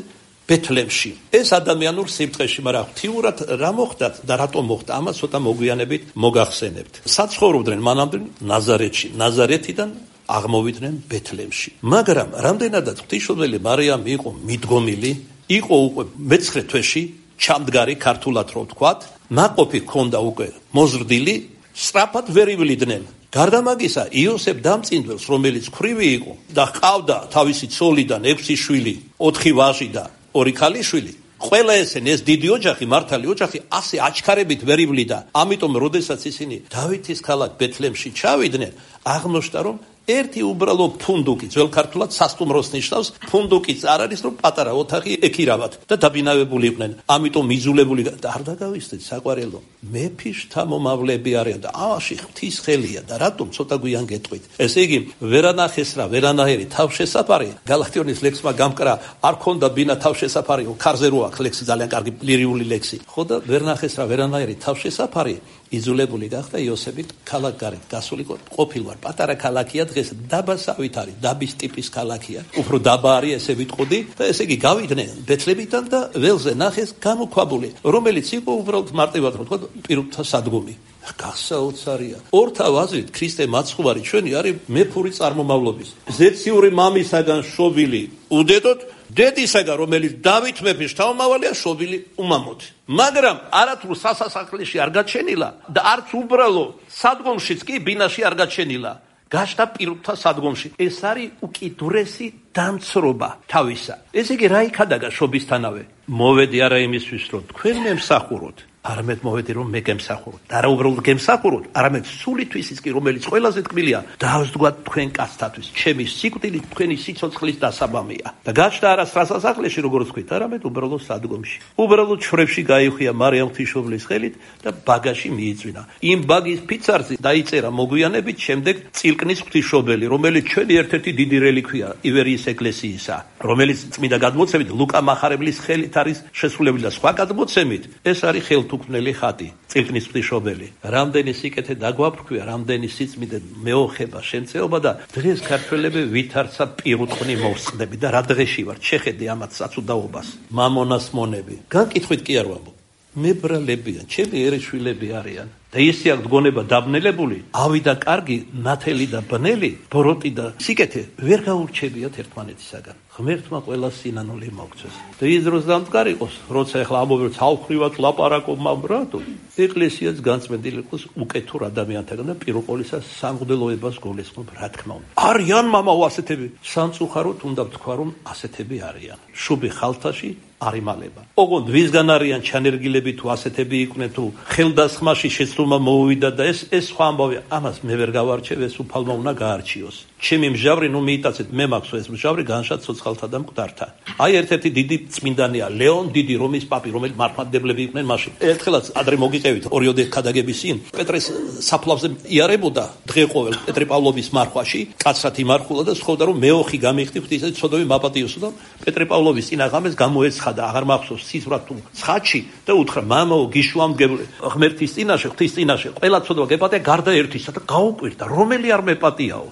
ბეთლემში. ეს ადამიანურ სიმტყეში, მაგრამ ღვთიურად რა მოხდათ და რატომ მოხდა, ამას ცოტა მოგვიანებით მოგახსენებთ. საცხოვრობდნენ მანამდე ნაზარეთში, ნაზარეთიდან აღმოვიდნენ ბეთლემში. მაგრამ რამდენადაც ღვთისმშობელი მარიამი იყო მიდგომილი, იყო უკვე მე-9 თვეში ჩამდგარი, ქართულად რო ვთქვათ, ნაყოფი ჰქონდა უკვე მოზრდილი, სწრაფად ვერ ივლიდნენ. გარდა მაგისა, იოსებ დამწინდველს, რომელიც ქვრივი იყო და ჰყავდა თავისი ცოლიდან 6 შვილი, 4 ვაჟი და 2 ქალიშვილი, ყველა ესენი ეს დიდი ოჯახი, მართალი ოჯახი ასე აჩქარებით ვერ ივლიდა. ამიტომ როდესაც ისინი დავითის ქალაქ ბეთლემში ჩავიდნენ, აღმოჩნდა რომ ერთი უბრალო ფუნდუკი, ძველ ქართულად სასტუმროს ნიშნავს, ფუნდუკიც არ არის, რომ პატარა ოთახი ეკირავათ და დაბინავებული იყვნენ. ამიტომ იზულებული და არ დაგავიწყდეთ საყვარელო. მეფის შთამომავლები არიან და ამაში ღვთის ხელია და რატომ ცოტა გვიან გეტყვით. ესე იგი, ვერანახეს რა, ვერანაირი თავშესაფარი, გალაქტიონის ლექსმა გამკრა, არ ქონდა ბინა თავშესაფარი, ქარზე რო აქვს ლექსი, ძალიან კარგი ლირიული ლექსი. ხო და ვერნახეს რა, ვერანაირი თავშესაფარი, იზოლებული გახდა იოსები ქალაქ გარეთ გასული ყოფილვარ. პატარა ქალაქია დღეს, დაბასავით არის, დაბის ტიპის ქალაქია. უფრო დაბა არის, ესე ვიტყოდი და ესე იგი გავიდნენ ბეთლემიდან და ველზე ნახეს გამოქვაბული, რომელიც იყო უბრალოდ მარტივად რო თქვა პირუტთა სადგომი. გასაოცარია. ორთავ აზრით ქრისტე მაცხოვარი ჩვენი არის მეფური წარმომავლობის. ზეციური მამისაგან შობილი უდედოთ, დედისაგან, რომელიც დავით მეფის შთამომავალია, შობილი უმამოთი. მაგრამ არათუ სასასახლეში არ გაჩენილა და არც უბრალო სადგომშიც კი ბინაში არ გაჩენილა. გაშდა პირუტთა სადგომში. ეს არის უკიდურესი დამცრობა თავისა. ესე იგი, რა იქადაგა შობისთანავე? მოვედი არა იმისთვის, რომ თქვენ მემსახუროთ, არამედ მოვედი, რომ მე გემსახუროთ. და რა უბრალოდ გემსახუროთ, არამედ სულითვისიც კი, რომელიც ყველაზე თქმილია, დავსდგათ თქვენ კაცთათვის. ჩემი სიკვდილი თქვენი სიცოცხლის დასაბამია. და გაჩნდა არა სასახლეში, როგორც ვთქვით, არამედ უბრალოდ სადგომში. უბრალოდ ჩვრებში გაიხია მარიამ ღვთისმშობლის ხელით და ბაგაში მიიწვინა. იმ ბაგის ფიცარზე დაიწერა მოგვიანებით შემდეგ წილკნის ღვთისმშობელი, რომელიც ჩვენი ერთ-ერთი დიდი რელიქვია ივერიის ეკლესიისა, რომელიც წმინდა გადმოცემით ლუკა მახარებლის ხელით არის შესრულებული და სხვა გადმოცემით ეს არის ხელთუქმნელი ხატი, წილკნის ღვთისმშობელი. რამდენი სიკეთე დაგვაფრქვია, რამდენი სიწმინდე მეოხება, შემწეობა და დღეს ქართველები ვითარცა პირუტყვნი მოვსწდები და რა დღეში ვარ, შეხედე ამათ საცუდაობას. მამონას მონები. განკითხვით კი არ ვამბობ. მებრალებიან, ჩემი ერეშვილები არიან. და ისე აქვს გონება დაბნელებული, ავი და კარგი, ნათელი და ბნელი, ბოროტი და სიკეთე ვერ გაურჩებიათ ერთმანეთისაგან. ღმერთმა ყველა სინანული მოგცეს. და ის დროს დამდგარი იყოს, როცა ახლა ამბობენ თავხრივად ლაპარაკობ მამრათო, ეკლესიაც განწმენდილი იყოს უკეთურ ადამიანთაგან და პირველყოლისა სამღვდელოებას გულისხმობ, რა თქმა უნდა. არიან მამაო ასეთები, სამწუხაროდ უნდა ვთქვა, რომ ასეთები არიან. შუბი ხალთაში არ იმალება. ოღონდ ვისგან არიან ჩანერგილები თუ ასეთები იყვნენ თუ ხელდასხმაში შეცდომა მოუვიდა და ეს სხვა ამბავია. ამას მე ვერ გავარჩევ, ეს უფალმა უნდა გაარჩიოს. ჩემი მჟავრი ნუ მიიტაცეთ, მე მაქვს ეს მჟავრი განშად ცოცხალთა და მკვდართა. აი ერთ-ერთი დიდი წმინდანია ლეონ დიდი რომის პაპი, რომელიც მართლმადიდებლები იყვნენ მაშინ. ერთხელაც ადრე მოგიყევით ორიოდე ქადაგების წინ პეტრეს საფლავზე იარებოდა დღე ყოველ პეტრე პავლოვის მარხვაში, კაცრად იმარხულა და სთხოვდა რომ მეოხი გამიხდი ღვთისმშობელი ცოდვი მაპატიოსო და პეტრე პავლოვის წინა ღამეს გამოეცხადა აღარ მახსოვს სიზვრად თუ ცხაჩი და უთხრა მამაო გიშვამდგებული ღმერთის წინაშე ღვთის წინაშე ყველა ცოდვა გეპატია გარდა ერთისა და გაუკვირდა რომელი არ მეპატიაო.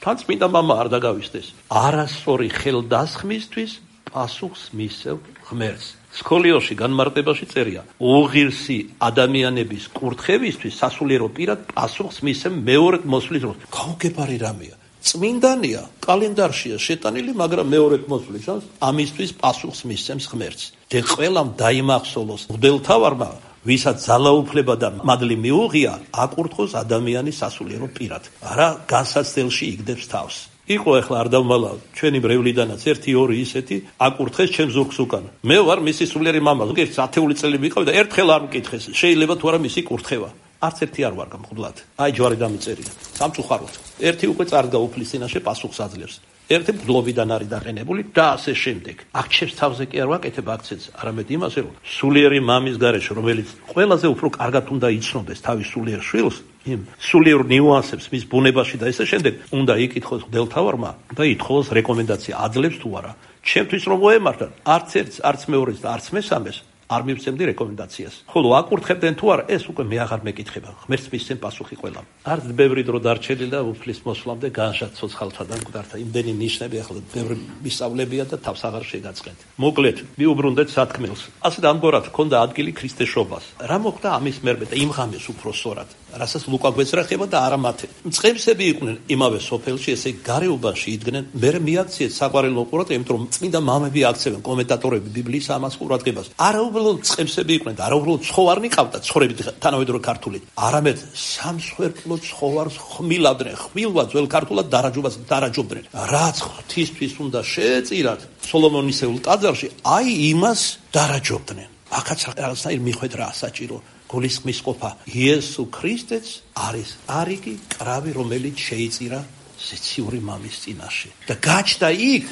თან წმინდა მამა არ დაგავიწყდეს. არასწორი ხელდასხმისთვის პასუხს მისევ ღმერთს. სკოლიოში განმარტებაში წერია: უღირსი ადამიანების კურთხევისთვის სასულიერო პირად პასუხს მისევ მეორედ მოსვლის დროს. გაუგებარი რამეა. წმინდანია, კალენდარშია შეტანილი, მაგრამ მეორედ მოსვლის შანს ამისთვის პასუხს მისცემს ღმერთს. და ყველამ დაიმახსოვროს მღვდელთავარმა, ვისაც ძალაუფლება და მადლი მიუღია, აკურთხოს ადამიანის სასულიერო პირად. არა განსაცდელში იგდებს თავს. იყო ახლა არ დავმალა ჩვენი მრევლიდანაც 1-2 ისეთი აკურთხეს ჩემს ზურგს უკან. მე ვარ მისი სულიერი მამა. ზოგიერთ 10 წელი ვიყავი და ერთხელ არ მკითხეს. შეიძლება თუ არა მისი კურთხევა. არც ერთი არ ვარ გამხდლად. აი ჯვარი დამიწერია. სამწუხაროდ. ერთი უკვე წარდგა უფლის წინაშე პასუხს აძლევს. ერთი მგლობიდან არის დაყენებული და ასე შემდეგ. აქ თავზე კი არ ვაკეთებ აქცენტს, არამედ იმაზე, რომ სულიერი მამის გარეშე, რომელიც ყველაზე უფრო კარგად უნდა იცნობდეს თავის სულიერ შვილს, იმ სულიერ ნიუანსებს მის ბუნებაში და ესე შემდეგ, უნდა იკითხოს მღვდელთავარმა და ითხოვოს რეკომენდაცია, აძლევს თუ არა. ჩემთვის რომ მოემართათ, არც ერთს, არც მეორეს და არც მესამეს არ მივცემდი რეკომენდაციას. ხოლო აკურთხებდნენ თუ არა, ეს უკვე მე აღარ მეკითხება. ღმერთს მისცემ პასუხი ყველამ. არც ბევრი დრო დარჩენილი და უფლის მოსვლამდე განშად ცოცხალთა და მკვდართა იმდენი ნიშნები ახლა ბევრი მისწავლებია და თავს აღარ შეგაწყეთ. მოკლედ, მიუბრუნდეთ სათქმელს. ასე და ამგვარად ჰქონდა ადგილი ქრისტეშობას. რა მოხდა ამის მერმე და იმ ღამეს უფრო სწორად, რასაც ლუკა გვეძრახება და არა მათე. მწყემსები იყვნენ იმავე სოფელში, ესე გარეუბანში იდგნენ. მე მიაქციეთ საყვარელო ყურადღება, იმიტომ რომ წმინდა მამები აქცევენ, კომენტატორები ბიბლიის ამას ყურადღებას. უბრალოდ წყემსები იყვნენ და არა უბრალოდ ცხოვარნი ყავდა ცხოვრებით თანამედროვე ქართული. არამედ სამსხვერპლო ცხოვარს ხმილავდნენ, ხმილვა ძველ ქართულად დარაჯობას დარაჯობდნენ. რაც ღვთისთვის უნდა შეეწირათ სოლომონისეულ ტაძარში, აი იმას დარაჯობდნენ. აქაც რაღაცნაირ მიხვედრაა საჭირო. გულისხმის ყოფა. იესო ქრისტეც არის არიგი კრავი, რომელიც შეიწირა ზეციური მამის წინაშე. და გაჩნდა იქ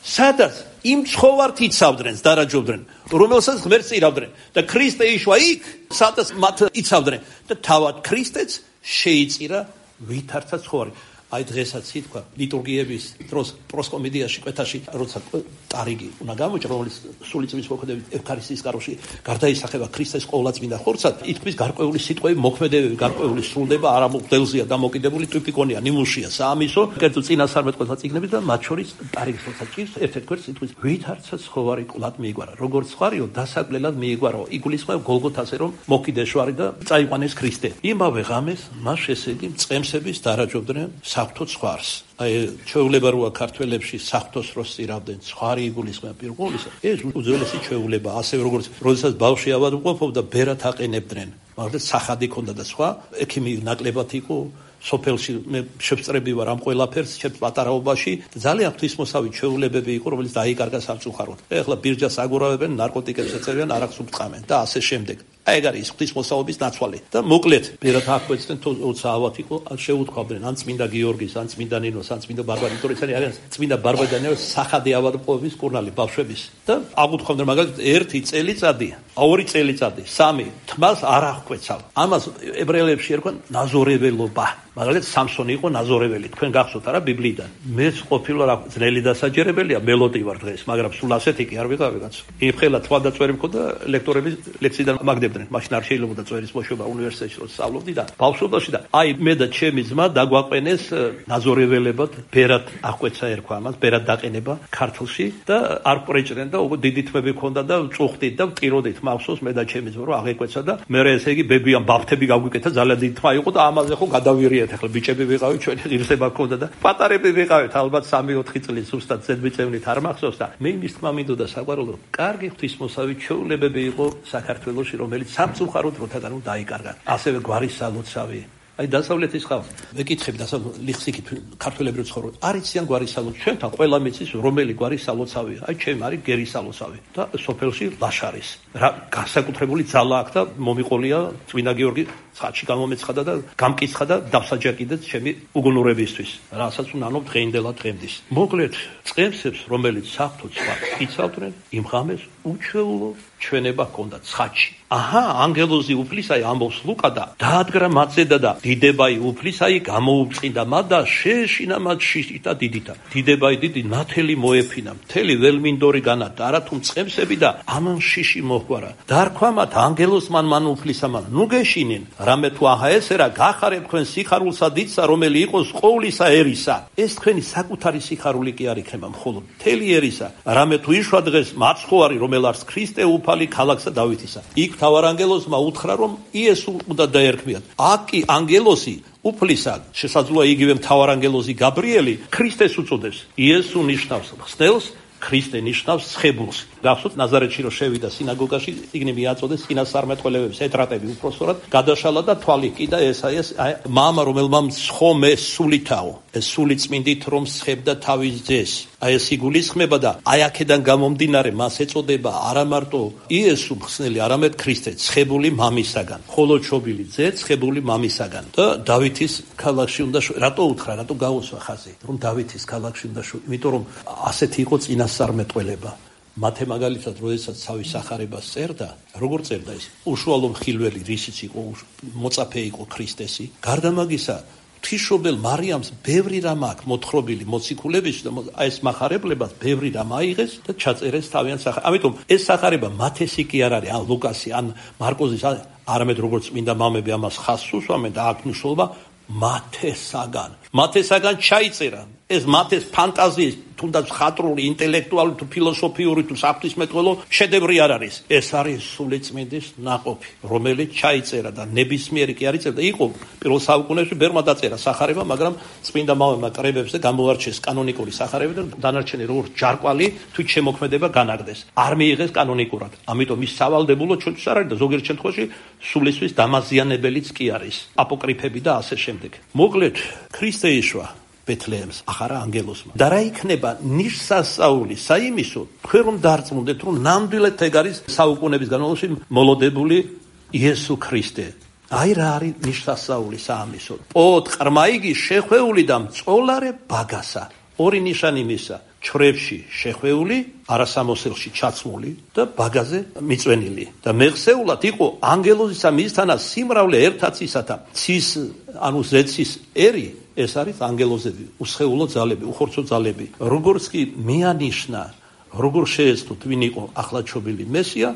სადაც იმ ცხოვართ იცავდნენ, დარაჯობდნენ, რომელსაც ღმერთს იღავდნენ და ქრისტე იშვა იქ, სადაც მათ იცავდნენ და თავად ქრისტეც შეიწირა ვითარცა ცხოვარი. აი დღესაც ითქვა ლიტურგიების დროს პროსკომედიაში კვეთაში, როცა ტარიგი უნდა გამოიჭრა, რომელიც სული წლის მოქმედებით ევქარისტიის კაროში გარდაისახება ქრისტეს ყოვლადწმინდა ხორცად, ითქვის გარკვეული სიტყვები, მოქმედებები, გარკვეული სრულდება არა მღვდელზეა დამოკიდებული, ტიპიკონია, ნიმუშია, საამისო, კერძო წინასწარმეტყველთა წიგნები და მათ შორის ტარიგის როცა ჭირს, ერთ-ერთ გვერდს ითქვის ვითარცა ცხოვარი კვლად მიიგვარა. როგორც ხარიო, დასაკლელად მიიგვარო. იგულისხმება გოლგოთაზე, რომ მოკიდეშვარი და წაიყვანეს ქრისტე. იმავე ღამეს მას ესეთი მწყემსების დარაჯობდნენ საფრთხო ცხვარს. აი ჩვეულება როა ქართველებში საფრთხოს დროს წირავდნენ ცხვარი იგულისხმება პირველისა. ეს უძველესი ჩვეულება, ასევე როგორც როდესაც ბავშვი ავადმყოფობდა, ბერად აყენებდნენ. მაგრამ სახადი ქონდა და სხვა, ექიმი ნაკლებად იყო სოფელში მე შევწრები ვარ ამ ყველაფერს ჩემს პატარაობაში ძალიან ღვთისმოსავი ჩვეულებები იყო რომელიც დაიკარგა სამწუხაროდ. ეხლა ბირჯას აგურავებენ, ნარკოტიკებს ეწევიან, არახს უბწყამენ და ასე შემდეგ. აი ეგ არის ღვთისმოსავობის ნაცვალი. და მოკლედ ბერად ახვეწდნენ თორსა ავად იყო შეუთქვამდნენ ან წმინდა გიორგის, ან წმინდა ნინოს, ან წმინდა ბარბარე, თორე ესენი არიან წმინდა ბარბარეს სახადი ავადმყოფობის კურნალი ბავშვების. და აღუთქვამდნენ მაგალითად 1 წელიწადი, 2 წელიწადი, 3 თმას არ აღკვეცავ. ამას ებრაელებში ერქვენ ნაზორეველობა. მაგალითად სამსონი იყო ნაზორეველი, თქვენ გახსოვთ არა ბიბლიიდან. მეც ყოფილა რა ძნელი დასაჯერებელია, მელოდი ვარ დღეს, მაგრამ სულ ასეთი კი არ ვიყავი კაცო. იმხელა თვალდაწვერი მქონდა ლექტორების ლექციიდან მაგდებდნენ, მაშინ არ შეიძლებოდა წერის მოშვება უნივერსიტეტში რომ სწავლობდი და ბავშვობაში და აი მე და ჩემი ძმა დაგვაყენეს ნაზორეველებად, ბერად აღკვეცა ერქვა ამას, ბერად დაყენება ქართლში და არ პრეჭრენ და უკვე დიდი თმები ქონდა და წუხდით და ვტიროდით მახსოვს მე და ჩემი ძმა რომ აღეკვეცა და მე ესე იგი ბებიან ბაფთები გავგვიკეთა, ძალიან დიდი თმა იყო და ამაზე ხო გადავირიეთ. ახლა ბიჭები ვიყავით, ჩვენი ღირსება გქონდა და პატარები ვიყავით, ალბათ 3-4 წლის ზუსტად ზედმიწევნით არ მახსოვს და მე იმის თქმა მინდოდა საყვარელო, კარგი ღვთისმოსავი ჩვეულებები იყო საქართველოში, რომელიც სამწუხაროდ დროთაგან დაიკარგა. ასევე გვარის სალოცავი. აი დასავლეთის ხალხს მეკითხები ლიხსიქით ქართველები რო ცხოვრობენ, არ იციან გვარის სალოცავი. ჩვენთან ყველა მეცის რომელი გვარის სალოცავია. აი ჩემ არის გერის სალოცავი და სოფელში ლაშარის. რა განსაკუთრებული ძალა აქვს და მომიყოლია წმინდა გიორგი ცხადში გამომეცხადა და გამკიცხა და დავსაჯა კიდეც ჩემი უგუნურებისთვის. რასაც უნანო დღეინდელად დღემდის. მოკლედ, წემსებს, რომელიც საფრთხო ცხვარს იცავდნენ, იმ ღამეს უჩვეულო ჩვენება ჰქონდა ცხადში. აჰა, ანგელოზი უფლისაი ამბობს ლუკა და დაადგრა მათზედა და დიდებაი უფლისაი გამოუწყინდა მათ და შეეშინა მათ შიშით და დიდითა. დიდებაი დიდი ნათელი მოეფინა, მთელი ველმინდორი განათდა, არათუ მწყემსები და ამან შიში მოჰგვარა. დარქვა მათ ანგელოზმან მან უფლისამან, ნუ გეშინინ, რამე თუ აჰა ესერა გახარებ თქვენ სიხარულსა დიდსა, რომელი იყოს ყოვლისა ერისა. ეს თქვენი საკუთარი სიხარული კი არ იქნება, მხოლოდ მთელი ერისა. რამე თუ იშვა დღეს მაცხოვარი, რომელარს ქრისტე უფალი ქალაქსა დავითისა. იქ თავარანგელოზმა უთხრა, რომ იესო უნდა დაერქმიათ. აქ კი ანგელოზი უფლისად, შესაძლოა იგივე მთავარანგელოზი გაბრიელი ქრისტეს უწოდებს. იესო ნიშნავს ხსნელს, ქრისტე ნიშნავს ცხებულს. გახსოვთ ნაზარეთში რომ შევიდა სინაგოგაში, წიგნი მიაწოდეს წინასწარმეტყველებებს ეტრატები უფროსწორად, გადაშალა და თვალი კიდა ესაიას მამა რომელმა მსხომე სულითაო. ეს სული წმინდით რომ სხებდა თავის ძეს. აი ეს იგულისხმება და აი აქედან გამომდინარე მას ეწოდება არა მარტო იესო მხსნელი, არამედ ქრისტე, ცხებული მამისაგან. ხოლო ჩობილი ძე ცხებული მამისაგან. და დავითის ქალაქში უნდა რატო უთხრა, რატო გაუსვა ხაზი, რომ დავითის ქალაქში უნდა იმიტომ რომ ასეთი იყო წინასწარმეტყველება. მათე მაგალითად, როდესაც თავის სახარებას წერდა, როგორ წერდა ის? უშუალო მხილველი, რისიც იყო, მოწაფე იყო ქრისტესი. გარდა მაგისა, ღვთისმშობელ მარიამს ბევრი რამ აქვს მოთხრობილი მოციქულების და ეს მახარებლებას ბევრი რამ აიღეს და ჩაწერეს თავიანთ სახარებას. ამიტომ ეს სახარება მათესი კი არ არის, ან ლუკასი, ან მარკოზის, არამედ როგორც წმინდა მამები ამას ხაზს უსვამენ და აქ მნიშვნელობა მათესაგან ჩაიწერა. ეს მათეს ფანტაზიის, თუნდაც ხატრული, ინტელექტუალური თუ ფილოსოფიური თუ საფრთხისმეტყველო შედევრი არ არის. ეს არის სულიწმინდის ნაყოფი, რომელიც ჩაიწერა და ნებისმიერი კი არ იწერდა. იყო პირველ საუკუნეებში ბერმა დაწერა სახარება, მაგრამ წმინდა მამებმა კრებებს და გამოარჩეს კანონიკური სახარება და დანარჩენი როგორც ჯარკვალი თვით შემოქმედება განაგდეს. არ მიიღეს კანონიკურად. ამიტომ ის სავალდებულო ჩვენთვის არ არის და ზოგიერთ შემთხვევაში სულისთვის დამაზიანებელიც კი არის. აპოკრიფები და ასე შემდეგ. მოკლედ, ქრისტე იშვა ბეთლეემს ახარა ანგელოზმა. და რა იქნება ნიშსასწაული საიმისო, თქვენ რომ დარწმუნდეთ, რომ ნამდვილად ეგ არის საუკუნეების განმავლობაში მოლოდებული იესო ქრისტე. აი რა არის ნიშსასწაული საამისო. პოთ ყრმაიგი შეხვეული და მწოლარე ბაგასა. ორი ნიშანი მისა. ჩრებში შეხვეული, არასამოსელში ჩაცმული და ბაგაზე მიწვენილი. და მეხსეულად იყო ანგელოზისა მისთანა სიმრავლე ერთად ისათა. ცის, ანუ ზეცის ერი, ეს არის ანგელოზები, უსხეულო ძალები, უხორცო ძალები. როგორც კი მეანიშნა, როგორ შეეცდოთ ვინ იყო ახლაჩობილი მესია,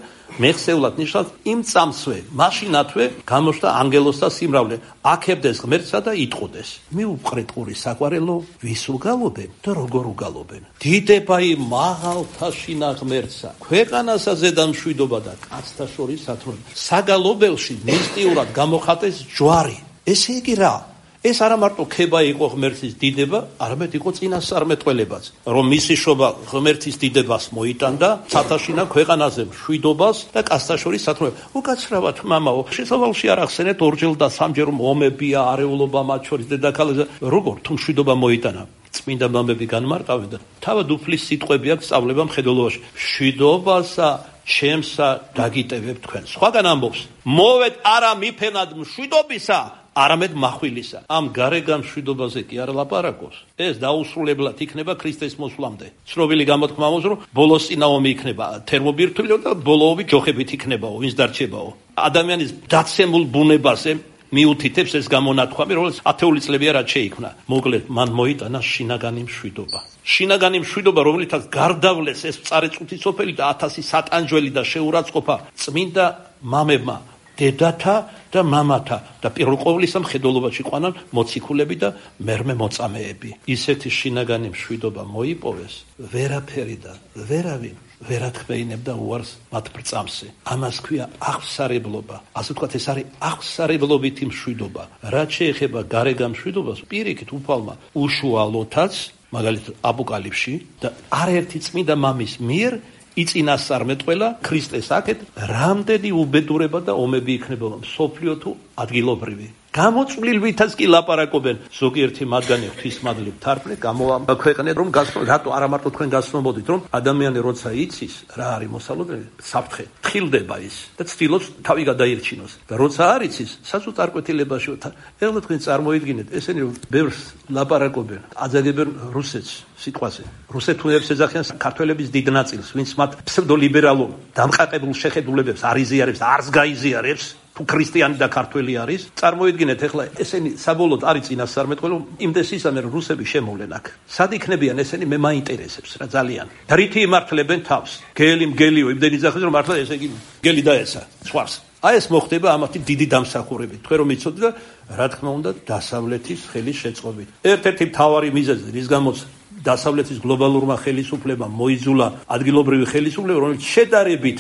მეხსეულად ნიშნავს იმ წამსვე, მაშინათვე გამოჩნდა ანგელოზთა სიმრავლე, აქებდეს ღმერთსა და იტყოდეს. მიუყრეთ ყური საყვარელო, ვის უგალობენ და როგორ უგალობენ. დიდებაი მაღალთა შინა ღმერთსა, ქვეყანასა ზედა მშვიდობა და კაცთა შორის სათროება. საგალობელში მისტიურად გამოხატეს ჯვარი. ესე იგი რა? ეს არა მარტო ქება იყო ღმერთის დიდება, არამედ იყო წინასწარმეტყველებაც, რომ მისი შობა ღმერთის დიდებას მოიტანდა, ცათაშინა ქვეყანაზე მშვიდობას და კაცთა შორის სათროება. უკაცრავად მამაო, შესავალში არ ახსენეთ ორჯერ და სამჯერ რომ ომებია, არეულობა მათ შორის დედაქალაქზე, როგორ თუ მშვიდობა მოიტანა? წმინდა მამები განმარტავენ და თავად უფლის სიტყვები აქვს სწავლება მხედველობაში. მშვიდობასა ჩემსა დაგიტევებ თქვენ. სხვაგან ამბობს, მოვეთ არა მიფენად მშვიდობისა, არამედ מחვილისა. ამ გარეგან მშვიდობაზე კი არ ლაპარაკობს. ეს დაუსრულებლად იქნება ქრისტეს მოსვლამდე. ცნობილი გამოთქმა აქვს, რომ ბოლოს წინაომი იქნება თერმობირთვლიო და ბოლოები ჯოხებით იქნებაო, ვინც დარჩებაო. ადამიანის დაცემულ ბუნებაზე მიუთითებს ეს გამონათქვამი, რომელიც ათეული წლებია რაც შეიქმნა. მოკლედ, მან მოიტანა შინაგანი მშვიდობა. შინაგანი მშვიდობა, რომლითაც გარდავლეს ეს მწარეწუთი სოფელი და 1000 სატანჯველი და შეურაცხყოფა წმინდა მამებმა, დედათა და მამათა და პირველ ყოვლისა მხედველობაში ყვანან მოციქულები და მერმე მოწამეები. ისეთი შინაგანი მშვიდობა მოიპოვეს, ვერაფერი და ვერავინ ვერ ათქმეინებდა უარს მათ ბრწამსი. ამას ქვია აღსარებლობა. ასე ვთქვათ, ეს არის აღსარებლობითი მშვიდობა. რაც შეეხება გარეგან მშვიდობას, პირიქით უფალმა უშუალოთაც, მაგალითად აპოკალიფში და არაერთი წმინდა მამის მიერ იწინასწარმეტყველა ქრისტეს აქეთ რამდენი უბედურება და ომები იქნება მსოფლიო თუ ადგილობრივი. გამოწვლილვითაც კი ლაპარაკობენ. ზოგიერთი მათგანი ღვთისმადლი თარგმნე გამოაქვეყნეთ, რომ რატო არა მარტო თქვენ გასწნობოდით, რომ ადამიანი როცა იცის რა არის მოსალოდნელი, საფრთხე, თხილდება ის და ცდილობს თავი გადაირჩინოს. და როცა არ იცის, სასუთ არკვეთილებაში ეხლა თქვენ წარმოიდგინეთ, ესენი ბევრს ლაპარაკობენ, აძაგებენ რუსეთს სიტყვაზე. რუსეთუნებს ეძახიან ქართველების დიდ ნაწილს, ვინც მათ ფსევდოლიბერალურ დამყარებულ შეხედულებებს არ იზიარებს, არც გაიზიარებს. თუ ქრისტიანი და ქართველი არის, წარმოიდგინეთ ეხლა ესენი საბოლოოდ არის წინასწარმეტყველი, იმდეს ისამე რომ რუსები შემოვლენ აქ. სად იქნებიან ესენი მე მაინტერესებს რა ძალიან. და რითი იმართლებენ თავს? მგელიო, იმდენი ძახის რომ მართლა ესე იგი მგელი დაეცა სხვას. აი ეს მოხდება ამათი დიდი დამსახურებით. თქვენ რომ იცოდეთ და რა თქმა უნდა დასავლეთის ხელის შეწყობით. ერთ-ერთი მთავარი მიზეზი, რის გამოც დასავლეთის გლობალურმა ხელისუფლებამ მოიძულა ადგილობრივი ხელისუფლება, რომელიც შედარებით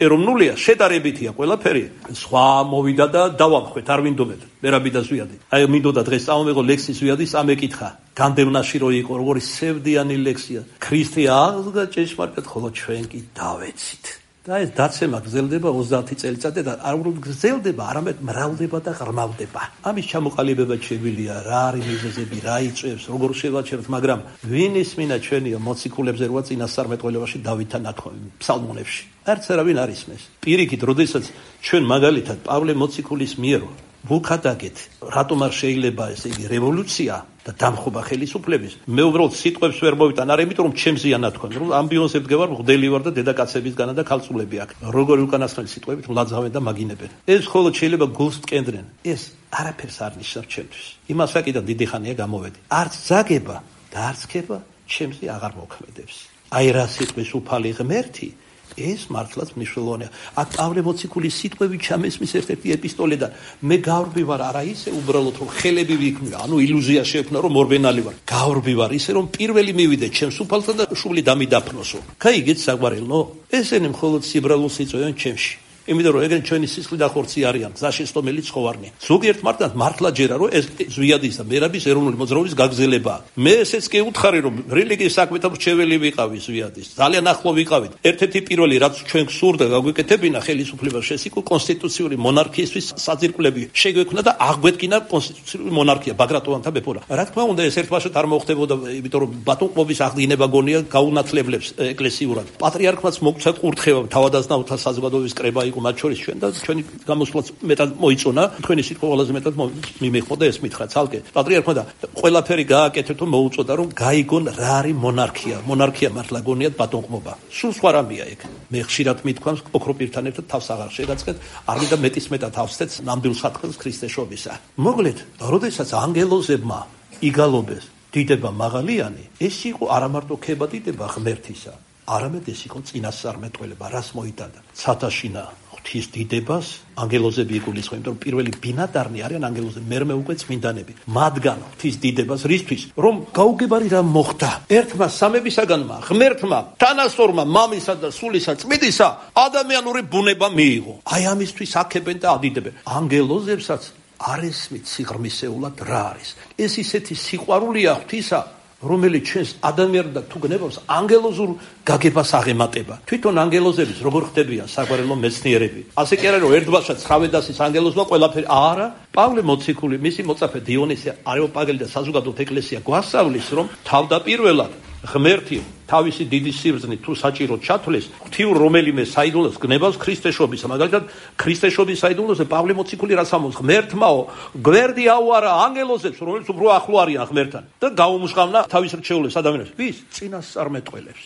ეროვნულია, შედარებითია ყველაფერი. სხვა მოვიდა და დავამხვეთ, არ მინდობეთ. მერაბი და ზვიადი. აი მინდოდა დღეს წამოვიღო ლექსი ზვიადის, ამეკითხა. განდევნაში რო იყო, როგორი სევდიანი ლექსია. ქრისტე აღდგა ჭეშმარიტად, ხოლო ჩვენ კი დავეცით. და ეს დაცემა გრძელდება 30 წელიწადი და არ უნდა გრძელდება, არამედ მრავლდება და ღრმავდება. ამის ჩამოყალიბება შეგვიძლია, რა არის მიზეზები, რა იწვევს, როგორ შევაჩეროთ, მაგრამ ვინ ისმინა ჩვენია მოციქულებზე როა წინასწარმეტყველებაში დავითთან ნათქვამი ფსალმუნებში. არც არავინ არ ისმეს. პირიქით, როდესაც ჩვენ მაგალითად პავლე მოციქულის მიერ ვუხადაგეთ, რატომ არ შეიძლება ესე იგი რევოლუცია და დამხობა ხელისუფლების. მე უბრალოდ სიტყვებს ვერ მოვიტან, არა იმიტომ რომ ჩემზეა ნათქვამი, რომ ამბიონზე ვდგევარ, მღვდელი ვარ და დედაკაცებისგანა და ქალწულები აქ. როგორი უკანასკნელი სიტყვებით ვლაძავენ და მაგინებენ. ეს მხოლოდ შეიძლება გულს ტკენდნენ. ეს არაფერს არ ნიშნავს ჩემთვის. იმას ვაკიდან დიდი ხანია გამოვედი. არც ზაგება და არც ქება ჩემზე აღარ მოქმედებს. აი რა სიტყვის უფალი ღმერთი ეს მართლაც მნიშვნელოვანია. აქ პავლე მოციქულის სიტყვები ჩამესმის ერთ-ერთი ეპისტოლედან. მე გავრბი ვარ არა ისე უბრალოდ რომ ხელები ვიქმნა, ანუ ილუზია შეექმნა რომ მორბენალი ვარ. გავრბი ვარ ისე რომ პირველი მივიდე ჩემს უფალთან და შუბლი დამიდაფნოსო. გაიგეთ საგვარელო? ესენი მხოლოდ სიბრალულს იწვევენ ჩემში. იმიტომ რომ ეგრე ჩვენი სისხლი და ხორცი არიან, გზაშესტომელი ცხოვარნი. ზოგიერთ მარტად მართლა ჯერა რომ ეს ზვიადის და მერაბის ეროვნული მოძრაობის გაგრძელებაა. მე ესეც კი უთხარი რომ რელიგიის საქმეთა მრჩეველი ვიყავი ზვიადის. ძალიან ახლო ვიყავით. ერთ-ერთი პირველი რაც ჩვენ გსურდა გაგვეკეთებინა ხელისუფლებას შესიკო კონსტიტუციური მონარქიისთვის საძირკვლები შეგვექმნა და აღგვეთკინა კონსტიტუციური მონარქია ბაგრატონთა მეფობა. რა თქმა უნდა ეს ერთბაშად არ მოხდებოდა, იმიტომ რომ ბატონყმობის აღდგენება გონია გაუნათლებლებს ეკლესიურად. პატრიარქმაც მოგცა კურთხევა თავადაზნაუთა საზოგადოების კრება მათ შორის ჩვენ და ჩვენი გამოსვლაც მეტად მოიწონა, თქვენი სიტყვა ყველაზე მეტად მიმეხოდა ეს მითხრა ცალკე პატრიარქმა და ყველაფერი გააკეთეთ და მოუწოდა რომ გაიგონ რა არის მონარქია. მონარქია მართლა გონიათ ბატონყმობა. სულ სხვა რამეა ეგ. მე ხშირად მithქვამს ოქროპირთან ერთად თავს აღარ შეგაწყეთ, არ მინდა მეტის მეტად ავსთეთ ნამდვილ სათხელს ქრისტეშობისა. მოკლედ, როდესაც ანგელოზებმა იგალობეს დიდება მაღალიანი, ეს იყო არა მარტო ქება დიდება ღმერთისა, არამედ ეს იყო წინასწარმეტყველება, რას მოიტანდა. ცათაშინა ღვთის დიდებას ანგელოზები იგულისხმენ, იმიტომ რომ პირველი ბინადარნი არიან ანგელოზები, მერმე უკვე წმინდანები. მათგან ღვთის დიდებას რისთვის? რომ გაუგებარი რამ მოხდა. ერთმა სამებისაგანმა, ღმერთმა, თანასწორმა მამისა და სულისა წმინდისა ადამიანური ბუნება მიიღო. აი ამისთვის აქებენ და ადიდებენ. ანგელოზებსაც არ ესმით სიღრმისეულად რა არის. ეს ისეთი სიყვარულია ღვთისა, რომელიც ჩვენს ადამიანს და თუ გნებავს ანგელოზურ გაგებას აღემატება. თვითონ ანგელოზების როგორ ხდებიან საგვარელო მეცნიერები. ასე კი არა რომ ერთბაშად ცრავედასის ანგელოზმა ყველაფერი არა. პავლე მოციქული, მისი მოწაფე დიონისე არეოპაგელი და საზოგადოებრივ ეკლესია გვასწავლის რომ თავდაპირველად ღმერთი თავისი დიდი სიბრძნით თუ საჭიროდ ჩათვლეს ღვთიურ რომელიმე საიდუმლოს გნებავს ქრისტეშობისა. მაგალითად ქრისტეშობის საიდუმლოზე პავლე მოციქული რაც ამბობს, ღმერთმაო გვერდი აუარა ანგელოზებს, რომელიც უფრო ახლო არიან ღმერთთან და გაუმჟღავნა თავის რჩეულებს ადამიანებს. ვის? წინასწარმეტყველებს,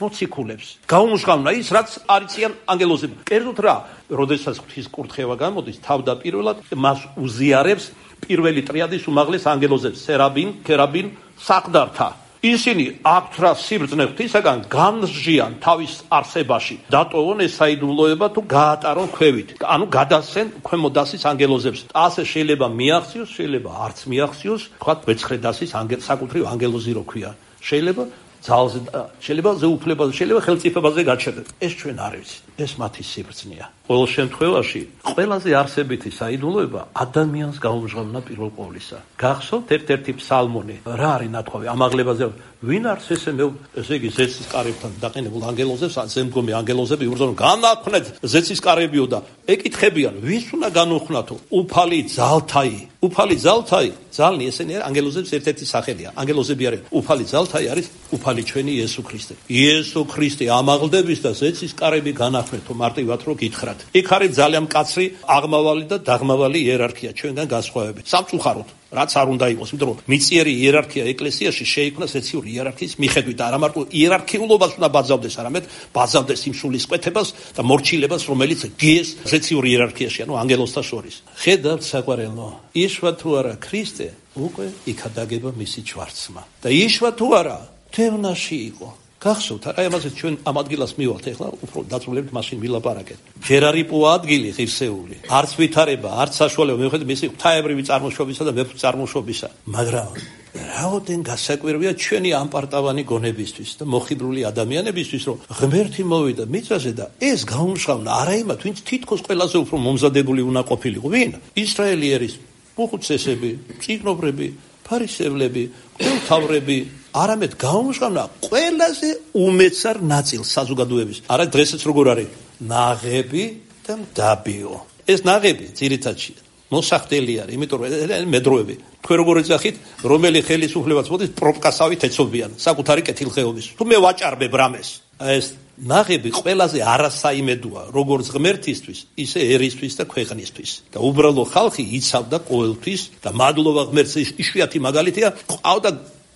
მოციქულებს. გაუმჟღავნა ის რაც არიციან ანგელოზები. კერძოდ რა? როდესაც ღვთის კურთხევა გამოდის, თავდაპირველად მას უზიარებს პირველი ტრიადის უმაღლეს ანგელოზებს, სერაბინ, ქერაბინ, საყდართა. ისინი აქვთ რა სიბრძნე ღვთისაგან განსჯიან თავის არსებაში, დატოვონ ეს საიდუმლოება თუ გაატარონ ქვევით, ანუ გადასცენ ქვემო დასის ანგელოზებს. ასე შეიძლება მიაღწიოს, შეიძლება არც მიაღწიოს, თქვათ მეცხრე დასის საკუთრივ ანგელოზი რო ქვია. შეიძლება ძალზე, შეიძლება ზეუფლებაზე, შეიძლება ხელწიფებაზე გაჩერდეთ. ეს ჩვენ არ ვიცით. ეს მათი სიბრძნეა. ყოველ შემთხვევაში, ყველაზე არსებითი საიდუმლოება ადამიანს გაუმჟღავნა პირველ ყოვლისა. გახსოვთ ერთ-ერთი ფსალმონი, რა არის ნათქვამი ამაღლებაზე, ვინ არის ესე იგი ზეცის კარებთან დაყენებულ ანგელოზებს, ზემდგომი ანგელოზები იბრძოლენ, განაქვთ ზეცის კარებიო და ეკითხებიან, ვის უნდა განუხნათო? უფალი ძალთაი, ძალნი ესენი არის ანგელოზების ერთ-ერთი სახელია. ანგელოზები არის უფალი ძალთაი, არის უფალი ჩვენი იესო ქრისტე. იესო ქრისტე ამაღლდების და ზეცის კარები განახვეთო, მარტივად რო გითხრათ. იქ არის ძალიან მკაცრი აღმავალი და დაღმავალი იერარქია ჩვენგან განსხვავებით. სამწუხაროდ რაც არ უნდა იყოს, იმიტომ რომ მიწიერი იერარქია ეკლესიაში შეიქმნა ზეციური იერარქიის მიხედვით, არა მარტო იერარქიულობას უნდა ბაძავდეს, არამედ ბაძავდეს იმ სულისკვეთებას და მორჩილებას, რომელიც გიეს ზეციურ იერარქიაში, ანუ ანგელოზთა შორის. ხედავთ საყვარელო, იშვა თუ არა ქრისტე, უკვე იქადაგება მისი ჭვარცმა. და იშვა თუ არა, თევნაში იყო. გახსოვთ, აი ამაზე ჩვენ ამ ადგილას მივალთ, ეხლა უფრო დაწვრილებით მაშინ ვილაპარაკეთ. ჯერ არ იპოვა ადგილი ღირსეული, არც ვითარება, არც საშუალება მიუხედავად მისი ღვთაებრივი წარმოშობისა და მეფის წარმოშობისა. მაგრამ რაოდენ გასაკვირია ჩვენი ამპარტავანი გონებისთვის და მოხიბრული ადამიანებისთვის, რომ ღმერთი მოვიდა მიწაზე და ეს გაუმშღავნა არა იმათ, ვინც თითქოს ყველაზე უფრო მომზადებული უნდა ყოფილიყო. ვინ? ისრაელი ერის უხუცესები, წიგნობრები, ფარისევლები, მღვდელმთავრები, არამედ გაუმჟღავნა ყველაზე უმეცარ ნაწილს საზოგადოების. არა დღესაც როგორ არის? ნაღები და მდაბიო. ეს ნაღები ძირითადში მოსახდელი არის, იმიტომ რომ მედროები. თქვენ როგორ ეძახით, რომელი ხელისუფლებაც მოდის პროპკასავით ეცობიან საკუთარი კეთილხეობის. თუ მე ვაჭარბებ რამეს, ეს ნაღები ყველაზე არასაიმედოა, როგორც ღმერთისთვის, ისე ერისთვის და ქვეყნისთვის. და უბრალო ხალხი იცავდა ყოველთვის და მადლობა ღმერთს, იშვიათი მაგალითია, ყავდა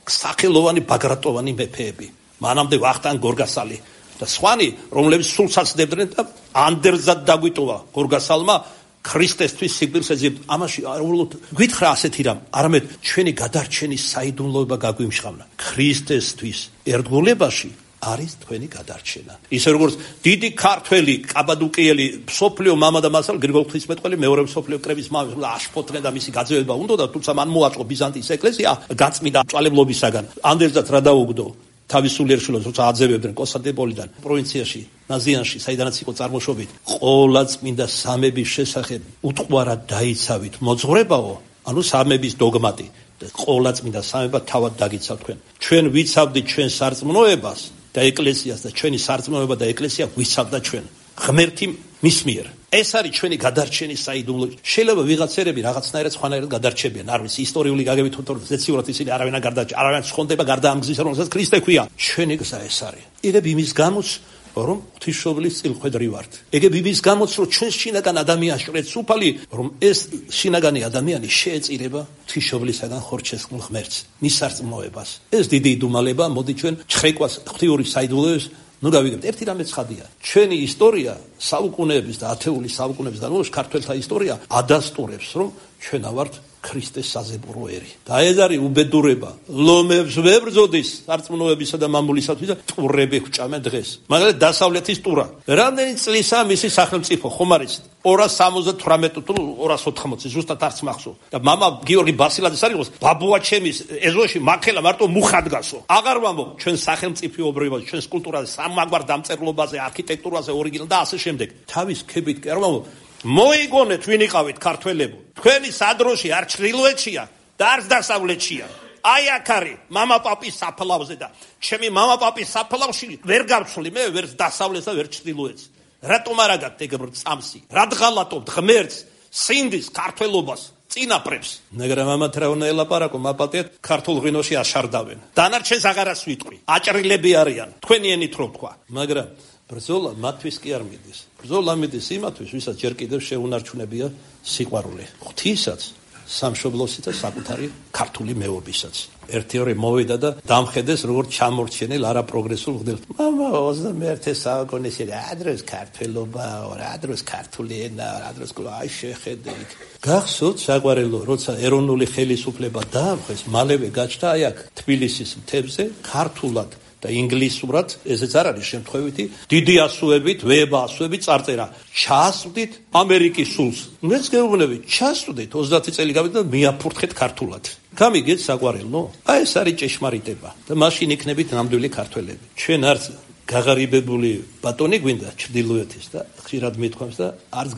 სახელოვანი ბაგრატოვანი მეფეები. მანამდე ვახტანგ გორგასალი და სხვანი, რომლებიც სულსაც დებდნენ და ანდერძად დაგვიტოვა გორგასალმა ქრისტესთვის სიკვდილს ეძებდა. ამაში უბრალოდ გითხრა ასეთი რამ, არამედ ჩვენი გადარჩენის საიდუმლოება გაგვიმშღავნა. ქრისტესთვის ერთგულებაში არის თქვენი გადარჩენა. ისე როგორც დიდი ქართველი კაბადუკიელი სოფლიო მამა და მასალ გრიგოლ ღვთისმეტყველი მეორე სოფლიო კრების მამა აშფოთლე და მისი გაძევება უნდა და თუმცა მან მოაწყო ბიზანტიის ეკლესია გაწმიდა მწვალებლობისაგან. ანდერძად რა დაუგდო თავის სულიერ შვილებს, როცა აძევებდნენ კონსტანტინოპოლიდან პროვინციაში, ნაზიანში, საიდანაც იყო წარმოშობით, ყოლა წმინდა სამების შესახებ უტყვარად დაიცავით მოძღვრებაო, ანუ სამების დოგმატი და ყოლა წმინდა სამება თავად დაგიცავთ თქვენ. ჩვენ ვიცავდით ჩვენ სარწმუნოებას და ეკლესიას და ჩვენი სარწმუნოება და ეკლესია ვიცავდა ჩვენ. ღმერთი მის მიერ. ეს არის ჩვენი გადარჩენის საიდუმლო. შეიძლება ვიღაცერები რაღაცნაირად სხვანაირად გადარჩებიან, არ ვიცი, ისტორიული გაგებით თორემ ზეციურად ისინი არავინ არ გადარჩა, არავინ ხონდება გარდა ამ გზისა, რომელსაც ქრისტე ქვია. ჩვენი გზა ეს არის. იგებ იმის გამოც, რომ ღვთისმშობლის წილხვედრი ვართ. იგებ იმის გამოც, რომ ჩვენ შინაგან ადამიანს ჭრეთს უფალი, რომ ეს შინაგანი ადამიანი შეეწირება ღვთისმშობლისაგან ხორჩესხმულ ღმერთს, მის სარწმუნოებას. ეს დიდი იდუმალება, მოდი ჩვენ ჩხრეკვას ღვთიური საიდუმლოების ნუ გავიგებთ. ერთი რამე ცხადია. ჩვენი ისტორია საუკუნეების და ათეული საუკუნეების განმავლობაში ქართველთა ისტორია ადასტურებს, რომ ჩვენ ავართ ქრისტეს საზებურო ერი. და ეს არის უბედურება. ლომებს ვებრძოდის სარწმუნოებისა და მამულისათვის და ტურები ხვჭამენ დღეს. მაგალითად დასავლეთის ტურა. რამდენი წლისაა მისი სახელმწიფო, ხომ არის 278 თუ 280, ზუსტად არც მახსოვს. და მამა გიორგი ბასილაძის არის ბაბუა ჩემის ეზოში მაქელა მარტო მუხა დგასო. აღარ ვამბობ ჩვენ სახელმწიფოებრიობას, ჩვენს კულტურაზე, სამაგვარ დამწერლობაზე, არქიტექტურაზე, ორიგინალ და ასე შემდეგ. თავის ქებით კი არ ვამბობ. მოიგონეთ ვინ იყავით ქართველებო. თქვენი სადროში არ ჩრდილოეთშია და არც დასავლეთშია. აი აქ არის მამა პაპის საფლავზე და ჩემი მამა პაპის საფლავში ვერ გავცვლი მე ვერ დასავლეთს და ვერ ჩრდილოეთს. რატომ არ აგათ ეგრე წამსი? რა დღალატობთ ღმერთს, სინდის ქართველობას, წინაპრებს. მაგრამ ამათ რა უნდა ელაპარაკო, მაპატიეთ ქართულ ღვინოში აშარდავენ. დანარჩენს აღარას ვიტყვი. აჭრილები არიან, თქვენი ენით რო თქვა. მაგრამ ბრძოლა მათთვის კი არ მიდის. ბრძოლა მიდის იმათთვის, ვისაც ჯერ კიდევ შეუნარჩუნებია სიყვარული. ღვთისაც, სამშობლოსაც და საკუთარი ქართული მეობისაც. ერთი ორი მოვიდა და დამხედეს როგორც ჩამორჩენილ არაპროგრესულ მღვდელს. მამა 21 საუკუნეში რა დროს ქართველობა, რა დროს ქართული ენა, რა დროს აი შეხედე იქ. გახსოვთ საყვარელო, როცა ეროვნული ხელისუფლება დაამხეს, მალევე გაჩნდა აი აქ თბილისის მთებზე ქართულად და ინგლისურად, ესეც არ არის შემთხვევითი, დიდი ასოებით, ვება ასოებით წარწერა. ჩასვდით ამერიკის სულს. მეც გეუბნები, ჩასვდით 30 წელი გავიდა და მიაფურთხეთ ქართულად. გამიგეთ საყვარელო? აი ეს არის ჭეშმარიტება და მაშინ იქნებით ნამდვილი ქართველები. ჩვენ არც გაღარიბებული ბატონი გვინდა ჩრდილოეთის და ხშირად მithქვამს და არც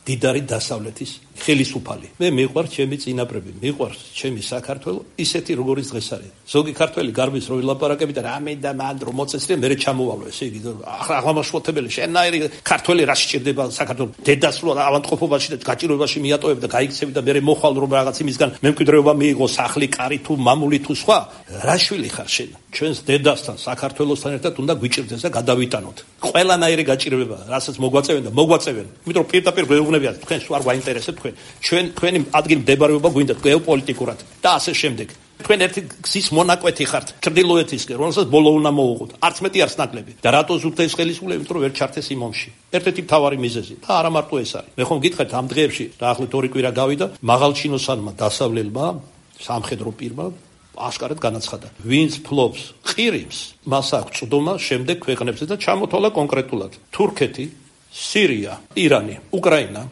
დიდარი დასავლეთის ხელისუფალი. მე მიყვარს ჩემი წინაპრები, მიყვარს ჩემი საქართველო, ისეთი როგორც დღეს არის. ზოგი ქართველი გარბის რო ვილაპარაკები და რამე და მან რომ მოწესრია, მე ჩამოვალო, ესე იგი აღმაშფოთებელი შენაირი ქართველი რა სჭირდება საქართველოს დედას რო ავადმყოფობაში და გაჭიროებაში მიატოვებ და გაიქცევი და მე მოხვალ რომ რაღაც იმისგან მემკვიდრეობა მიიღო სახლი, კარი თუ მამული თუ სხვა, რა შვილი ხარ შენ? ჩვენს დედასთან, საქართველოსთან ერთად უნდა გვიჭირდეს და გადავიტანოთ. ყველანაირი გაჭირვება, რასაც მოგვაწევენ და მოგვაწევენ. იმიტომ რომ პირდაპირ გვეუბნებიან, თქვენ სულ არ გვაინტერესებს თქვენი ადგილი მდებარეობა გვინდა გეოპოლიტიკურად და ასე შემდეგ. თქვენ ერთი გზის მონაკვეთი ხართ ჩრდილოეთისკენ, რომელსაც ბოლო უნდა მოუღოთ. არც მეტი არც ნაკლები. და რატო ზუგდა ეს ხელისუფლება, იმიტომ რომ ვერ ჩართეს იმ ომში. ერთ-ერთი მთავარი მიზეზი და არა მარტო ეს არის. მე ხომ გითხარით ამ დღეებში, დაახლოებით 2 კვირა გავიდა, მაღალჩინოსანმა დასავლელმა სამხედრო პირმა აშკარად განაცხადა. ვინც ფლობს ყირიმს, მას აქვს წვდომა შემდეგ ქვეყნებზე და ჩამოთვალა კონკრეტულად. თურქეთი, სირია, ირანი, უკრაინა,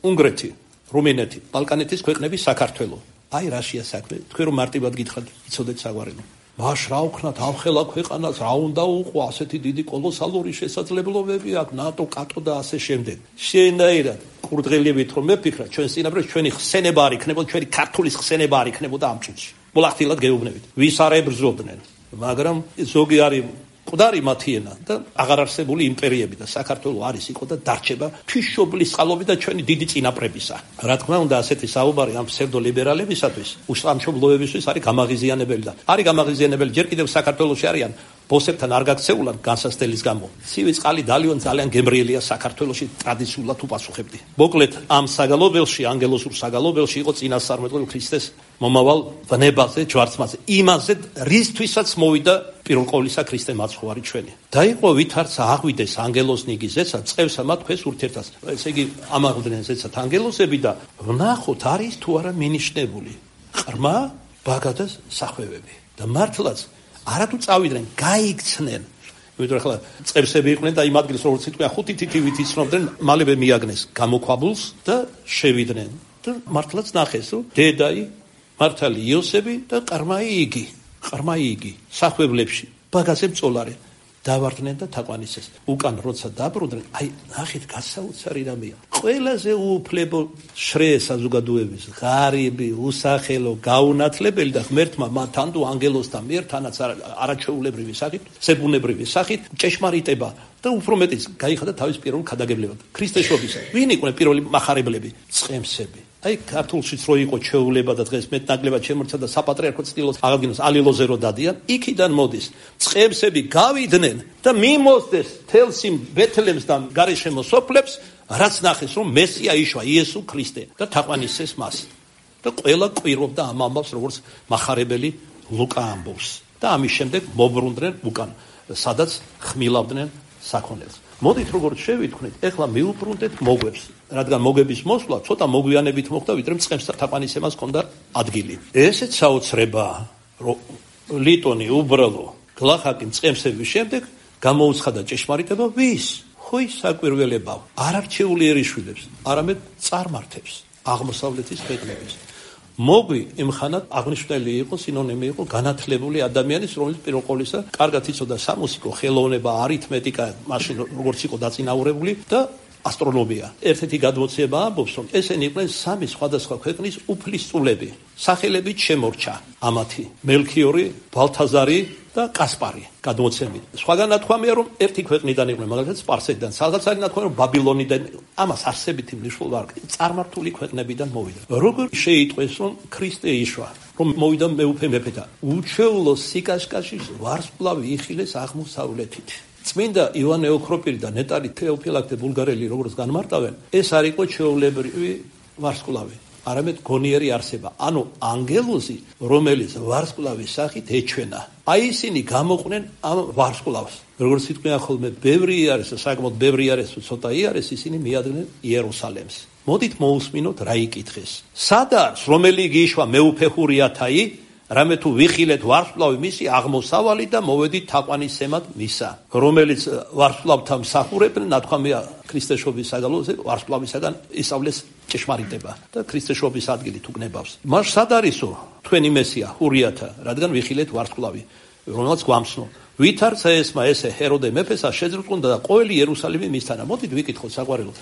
უნგრეთი, რუმინეთი, ბალკანეთის ქვეყნები, საქართველო. აი რაშია საქმე. თქვენ რომ მარტივად გითხრათ, იცოდეთ საგვარელო. მაშ რა ვქნათ, ამხელა ქვეყანას რა უნდა უყო, ასეთი დიდი კოლოსალური შესაძლებლობები აქვს, ნატო, კატო და ასე შემდეგ. შენაირად ყურდღელებით რომ მეფიქრა, ჩვენ წინაპრებს ჩვენი ხსენება არ იქნებოდა, ჩვენი ქართულის ხსენება არ იქნებოდა ამ წუთში. მოლახტილად გეუბნებით. ვის არ ებრძოდნენ, მაგრამ ზოგი არის მკვდარი მათი ენა და აღარ არსებული იმპერიები და საქართველო არის იყო და დარჩება თვისშობლის წყალობით და ჩვენი დიდი წინაპრებისა. რა თქმა უნდა, ასეთი საუბარი ამ ფსევდოლიბერალებისათვის, უსამშობლოებისთვის არის გამაღიზიანებელი და არის გამაღიზიანებელი ჯერ კიდევ საქართველოში არიან ბოსებთან არ გაქცეულან განსასწრების გამო. ცივი წყალი დალიონ ძალიან გემრიელია საქართველოში ტრადიციულად უპასუხებდი. მოკლედ ამ საგალობელში, ანგელოზურ საგალობელში იყო წინასწარმეტყველი ქრისტეს მომავალ ვნებაზე, ჯვარცმაზე, იმაზე, რისთვისაც მოვიდა პირველ ყოვლისა ქრისტე მაცხოვარი ჩვენი. დაიყო ვითარც აღვიდეს ანგელოზნიგი ზეცა, წევსა მათ ქვეს ურთერთას. ესე იგი ამაღვდნენ ზეცად ანგელოზები და ვნახოთ არის თუ არა მინიშნებული ყრმა, ბაგა და სახვევები. და მართლაც არათუ წავიდნენ, გაიქცნენ. იმიტომ ახლა წევსები იყვნენ და იმ ადგილს როგორც სიტყვა 5 თითივით იცნობდნენ, მალევე მიაგნეს გამოქვაბულს და შევიდნენ. და მართლაც ნახეს, რომ დედაი, მართალი იოსები და ყრმაი იგი, სახვებლებში, ბაგაზე მწოლარე. დავარდნენ და თაყვანისეს. უკან როცა დაბრუნდნენ, აი ნახეთ გასაოცარი რამეა. ყველაზე უუფლებო შრე საზოგადოების, ღარიბი, უსახელო, გაუნათლებელი და ღმერთმა მათთან თუ ანგელოზთან მიერ თანაც არაჩვეულებრივი სახით, ზებუნებრივი სახით ჭეშმარიტება და უფრო მეტიც გაიხადა თავის პირველ ქადაგებლებად. ქრისტეშობისა. ვინ იყვნენ პირველი მახარებლები? წყემსები. აი ქართულშიც რო იყო ჩვეულება და დღეს მეტნაკლებად შემორჩა და საპატრიარქო წილოს აღადგინოს ალილოზე რო დადიან, იქიდან მოდის. წყემსები გავიდნენ და მიმოსდეს თელს იმ ბეთლემს და გარშემო სოფლებს, რაც ნახეს რომ მესია იშვა იესო ქრისტე და თაყვანისეს მას. და ყველა ყვირობდა ამ ამბავს როგორც მახარებელი ლუკა ამბობს. და ამის შემდეგ მობრუნდნენ უკან, სადაც ხმილავდნენ საქონელს. მოდით როგორც შევიტყვით, ეხლა მიუბრუნდეთ მოგვებს, რადგან მოგების მოსვლა ცოტა მოგვიანებით მოხდა, ვიდრე წყემს თაყვანისემას ჰქონდა ადგილი. ესეც საოცრებაა, რომ ლიტონი უბრალო გლახაკი წყემსების შემდეგ გამოუცხადა ჭეშმარიტება ვის? ხოი საკვირველებავ, არ არჩეული ერიშვილებს, არამედ წარმართებს აღმოსავლეთის ქვეყნების. მოგვი იმხანად აღნიშნული იყო, სინონიმი იყო განათლებული ადამიანის, რომელიც პირველ ყოვლისა კარგად იცოდა სამუსიკო, ხელოვნება, არითმეტიკა, მაშინ როგორც იყო დაწინაურებული და ასტრონომია. ერთ-ერთი გადმოცემა ამბობს, რომ ესენი იყვნენ სამი სხვადასხვა ქვეყნის უფლისწულები. სახელებით შემორჩა ამათი: მელქიორი, ბალთაზარი და კასპარი. გადმოცემით. სხვაგან ნათქვამია, რომ ერთი ქვეყნიდან იყვნენ, მაგალითად სპარსეთიდან, სადაც არის ნათქვამი, რომ ბაბილონიდან, ამას არსებითი მნიშვნელობა არ აქვს. წარმართული ქვეყნებიდან მოვიდა. როგორ შეიტყვეს, რომ ქრისტე იშვა, რომ მოვიდა მეუფე მეფეთა, უჩვეულო სიკაშკაშის ვარსკვლავი იხილეს აღმოსავლეთით. წმინდა ივანე ოქროპირი და ნეტარი თეოფილაქტე ბულგარელი როგორც განმარტავენ, ეს არ იყო ჩვეულებრივი ვარსკვლავი, არამედ გონიერი არსება, ანუ ანგელოზი, რომელიც ვარსკვლავის სახით ეჩვენა. აი ისინი გამოყვნენ ამ ვარსკვლავს. როგორც სიტყვია ხოლმე, ბევრი არის, საკმაოდ ბევრი არის, ცოტა არის, ისინი მიადგნენ იერუსალემს. მოდით მოусმინოთ რა იკითხეს. სადაც რომელი გიშვა მეუფე ხურიათაი, რამე თუ ვიხილეთ ვარსკვლავი მისი აღმოსავალი და მოვედით თაყვანისემად მისა, რომელიც ვარსკვლავთან მსახურებდნენ, ნათქვამია ქრისტეშობის საგალოზე ვარსკვლავისაგან ისავლეს ჭეშმარიტება და ქრისტეშობის ადგილი თუ გნებავს. მას სად არისო თქვენი მესია ხურიათა, რადგან ვიხილეთ ვარსკვლავი, რომელიც გვამცნო. ვით არცა ესმა ესე ჰეროდე მეფესა შეძრწუნდა და ყოველი იერუსალიმი მისთანა. მოდით ვიკითხოთ საყვარელო,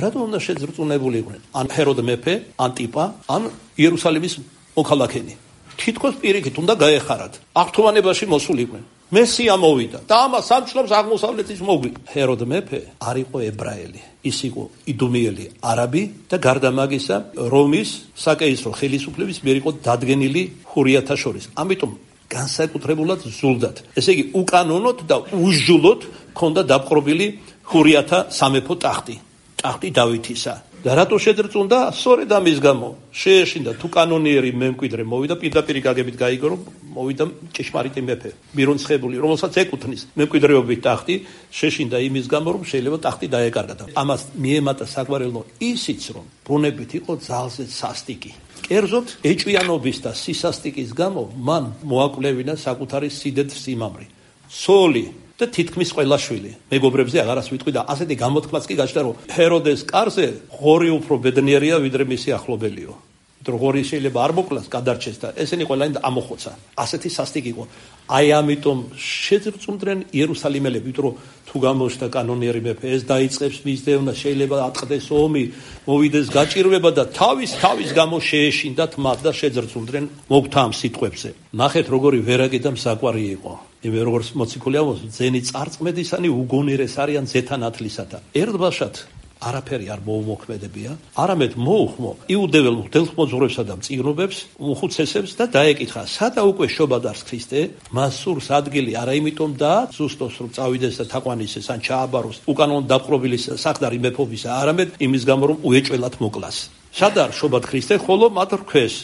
რატომ უნდა შეძრწუნებული იყვნენ? ან ჰეროდე მეფე, ან ტიპა, ან იერუსალიმის მოქალაქენი. თითქოს პირიქით უნდა გაეხარათ. აღთქმანებაში მოსულიყვნენ. მესია მოვიდა და ამას ამჩნობს აღმოსავლეთის მოგვი. ჰეროდე მეფე არ იყო ებრაელი, ის იყო იდუმიელი არაბი და გარდა მაგისა რომის საკეისრო ხელისუფლების მიერ იყო დადგენილი ჰურიათა შორის. ამიტომ განსაკუთრებულად ზულდად, ესე იგი უკანონოდ და უსჯულოდ ქონდა დაპყრობილი ჰურიათა სამეფო ტახტი დავითისა. და რატო შეძრწუნდა? სწორედ ამის გამო შეეშინდა თუ კანონიერი მემკვიდრე მოვიდა, პირდაპირ გაგებით გაიგო, რომ მოვიდა ჭეშმარიტი მეფე, მირონცხებული, რომელსაც ეკუთვნის მემკვიდრეობით ტახტი, შეშინდა იმის გამო, რომ შეიძლება ტახტი დაეკარგა. ამას მიემატა საყვარელო ისიც, რომ ბუნებით იყო ძალზე სასტიკი. კერძოდ ეჭვიანობის და სისასტიკის გამო მან მოაკვლევინა საკუთარი სიდეთ-სიმამრი, ცოლი და თითქმის ყველა შვილი. მეგობრებზე აღარას ვიტყვი და ასეთი გამოთქმაც კი გაჩნდა, რომ ჰეროდეს კარზე ღორი უფრო ბედნიერია, ვიდრე მისი ახლობელიო. ღორი შეიძლება არ მოკლას, გადარჩეს და ესენი ყველანი ამოხოცა. ასეთი სასტიკი იყო. აი ამიტომ შეძრწუნდნენ იერუსალიმელები, იმიტომ რომ თუ გამოჩნდა კანონიერი მეფე, ეს დაიწყებს მის დევნა, შეიძლება ატყდეს ომი, მოვიდეს გაჭირვება და თავის გამო შეეშინდათ მათ და შეძრწუნდნენ მოგვთა ამ სიტყვებზე. ნახეთ როგორი ვერაგი და მსაყვარი იყო. იმე როგორც მოციქული ამბობს, ძენი წარწმედისანი უგონერეს არიან ზეთანათლისათა. ერთბაშად არაფერი არ მოუმოქმედებია, არამედ მოუხმო იუდეველ მღვდელმოძღვრებსა და მწიგნობებს, უხუცესებს და დაეკითხა, სადა უკვე შობადარს ქრისტე, მას სურს ადგილი არა იმიტომ და ზუსტოს რომ წავიდეს და თაყვანისეს ან ჩააბაროს უკანონოდ დაპყრობილის საყდარი მეფობისა, არამედ იმის გამო რომ უეჭველად მოკლას. სადა შობად ქრისტე, ხოლო მათ რქვეს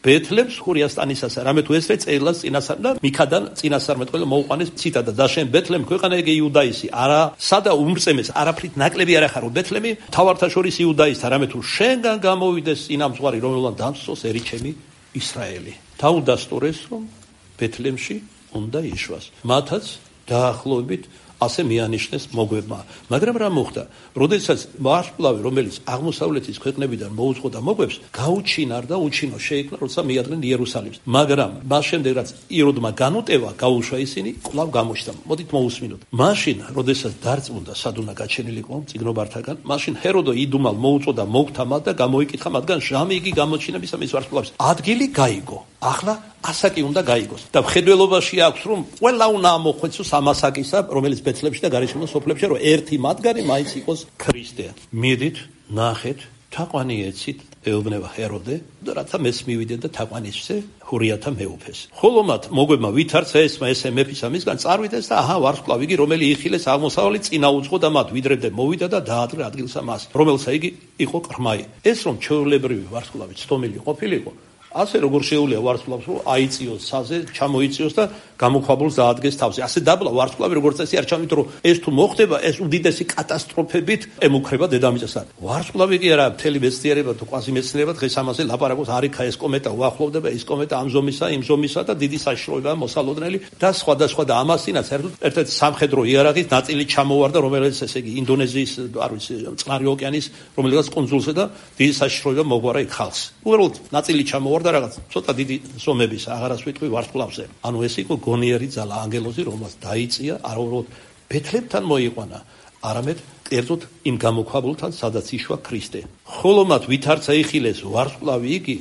ბეთლემს ხურიასტანისას, რამე თუ ესრე წერილას წინასწარ და მიქადან წინასწარმეტყველა მოუყვანეს ციტადა და შენ ბეთლემ ქვეყანა ეგ იუდაისი, არა სადა უმრწემეს, არაფრით ნაკლები არ ახარო ბეთლემი თავართა შორის იუდაისთა, რამე თუ შენგან გამოვიდეს წინამძღვარი, რომელმან დამსწოს ერიჩემი ისრაელი. დაუდასტურეს რომ ბეთლემში უნდა იშვას. მათაც დაახლოებით ასე მიანიშნეს მოგვებმა. მაგრამ რა მოხდა? როდესაც ვარსკვლავი, რომელიც აღმოსავლეთის ქვეყნებიდან მოუწყო და მოგვებს, გაუჩინარ და უჩინო შეიქმნა, როცა მიადგნენ იერუსალიმს. მაგრამ მას შემდეგ რაც იროდმა განუტევა, გაუშვა ისინი, კვლავ გამოჩნდა. მოდით მოусმინოთ. მაშინ, როდესაც დარწმუნდა სადუნა გაჩენილიყო წიგნობართაგან, მაშინ ჰეროდო იდუმალ მოუწყო და მოგთა მათ და გამოიკითხა მათგან ჟამი იგი გამოჩინებისა მის ვარსკვლავს. ადგილი გაიგო. ახლა ასაკი უნდა გაიგოს და მხედველობაში აქვს რომ ყველა უნდა ამოხვეცოს ამასაკისა, რომელიც ბეთლემში და გარშემო სოფლებში, რომ ერთი მათგანი მაინც იყოს ქრისტე. მიდით, ნახეთ, თაყვანი ეცით ეუბნება ჰეროდე და რათა მეც მივიდე და თაყვანისზე ჰურიათა მეუფეს. ხოლო მათ მოგვებმა ვითარცა ესმა ესე მეფისა მისგან წარვიდეს და აჰა ვარსკვლავი იგი რომელი იხილეს აღმოსავლეთ წინა უძღო და მათ ვიდრებდე მოვიდა და დაადრე ადგილსა მას, რომელსა იგი იყო ყრმაი. ეს რომ ჩვეულებრივი ვარსკვლავი ცდომილი ყოფილიყო, ასე როგორ შეუძლია ვარსკვლავს რომ აიწიოს საზე, ჩამოიწიოს და გამოქვაბულს დაადგეს თავზე. ასე დაბლა ვარსკვლავი როგორც წესი არ ჩამით, რომ ეს თუ მოხდება, ეს უდიდესი კატასტროფებით ემუქრება დედამიწასთან. ვარსკვლავი კი არა, მთელი მეცნიერება თუ კვაზიმეცნიერება დღეს ამაზე ლაპარაკობს, არიქა ეს კომეტა უახლოვდება, ის კომეტა ამ ზომისა, იმ ზომისა და დიდი საშიშროებაა მოსალოდნელი და სხვადასხვა და ამასინაც ერთ-ერთი სამხედრო იარაღის ნაწილი ჩამოვარდა, რომელიც ესე იგი ინდონეზიის, არ ვიცი, წყნარი ოკეანის რომელიღაც კონსულზე და დიდი საშიშროება მოგვარა იქ ხალხს. უბრალოდ ნაწილი ჩამოვარდა რაღაც ცოტა დიდი ზომების, აღარას ვიტყვი ვარსკვლავზე. ანუ ეს იყო გონიერი ძალა, ანგელოზი, რომელსაც დაიწია, არა უბრალოდ ბეთლემთან მოიყვანა, არამედ კერძოდ იმ გამოქვაბულთან, სადაც იშვა ქრისტე. ხოლო მათ ვითარცა იხილეს ვარსკვლავი იგი,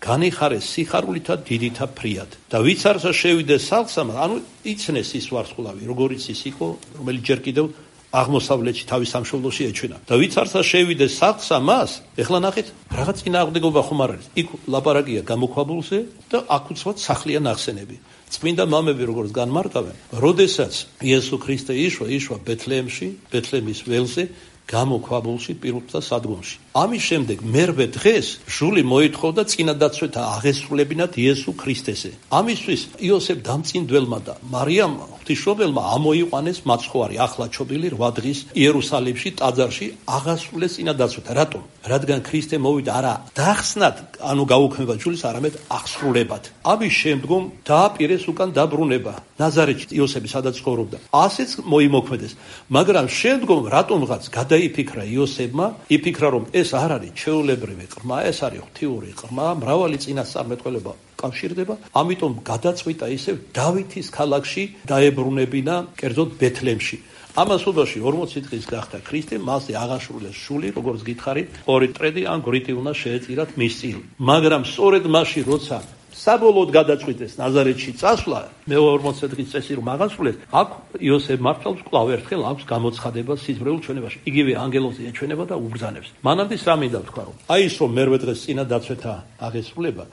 განიხარეს სიხარულითა დიდითა ფრიად. და ვიც არცა შევიდეს სახლსა, ანუ იცნეს ის ვარსკვლავი, როგორიც ის იყო, რომელიც ჯერ კიდევ აღმოსავლეთში თავის სამშობლოში ეჩვენა. და ვიც არცა შევიდეს სახლსა მას, ეხლა ნახეთ, რაღაც წინააღმდეგობა ხომ არ არის. იქ ლაპარაკია გამოქვაბულზე და აქ უცბად სახლია ნახსენები. წმინდა მამები როგორც განმარტავენ, როდესაც იესო ქრისტე იშვა ბეთლემში, ბეთლემის ველზე, გამოქვაბულში, პირუტთა სადგომში. ამის შემდეგ მერვე დღეს ჟული მოითხოვდა წინადაცვეთა აღესრულებინათ იესო ქრისტესე. ამისთვის იოსებ დამწინდველმა და მარიამ ღვთისმშობელმა ამოიყვანეს მაცხოვარი ახლაჩობილი 8 დღის იერუსალიმში ტაძარში აღასრულეს წინადაცვეთა. რატომ? რადგან ქრისტე მოვიდა არა დახსნად, ანუ გაუქმება ჯულის, არამედ აღსრულებად. ამის შემდგომ დააპირეს უკან დაბრუნება ნაზარეთში, იოსები სადაც ცხოვრობდა. ასეც მოიმოქმედეს. მაგრამ შემდგომ რატომღაც იფიქრა იოსებმა, იფიქრა რომ ეს არ არის ჩვეულებრივი ყრმა, ეს არის ღვთიური ყრმა, მრავალი წინასწარმეტყველება კავშირდება, ამიტომ გადაწყვიტა ისევ დავითის ქალაქში დაებრუნებინა, კერძოდ ბეთლემში. ამასობაში 40 დღის გახდა ქრისტე, მასზე აღაშურეს შული, როგორც გითხარით, ორი ტრედი ან გრიტი უნდა შეეწირათ მის წინ. მაგრამ სწორედ მაშინ, როცა საბოლოოდ გადაწყვიტეს ნაზარეთში წასვლა, მეორე 40 დღის წესი რომ აღასრულეს, აქ იოსებ მართლს კვლავ ერთხელ აქვს გამოცხადება სიზმრეულ ჩვენებაში. იგივე ანგელოზი ეჩვენება და უბრძანებს. მანამდე რა მინდა ვთქვა, რომ აი ის რომ მერვე დღეს წინა დაცვეთა აღესრულება,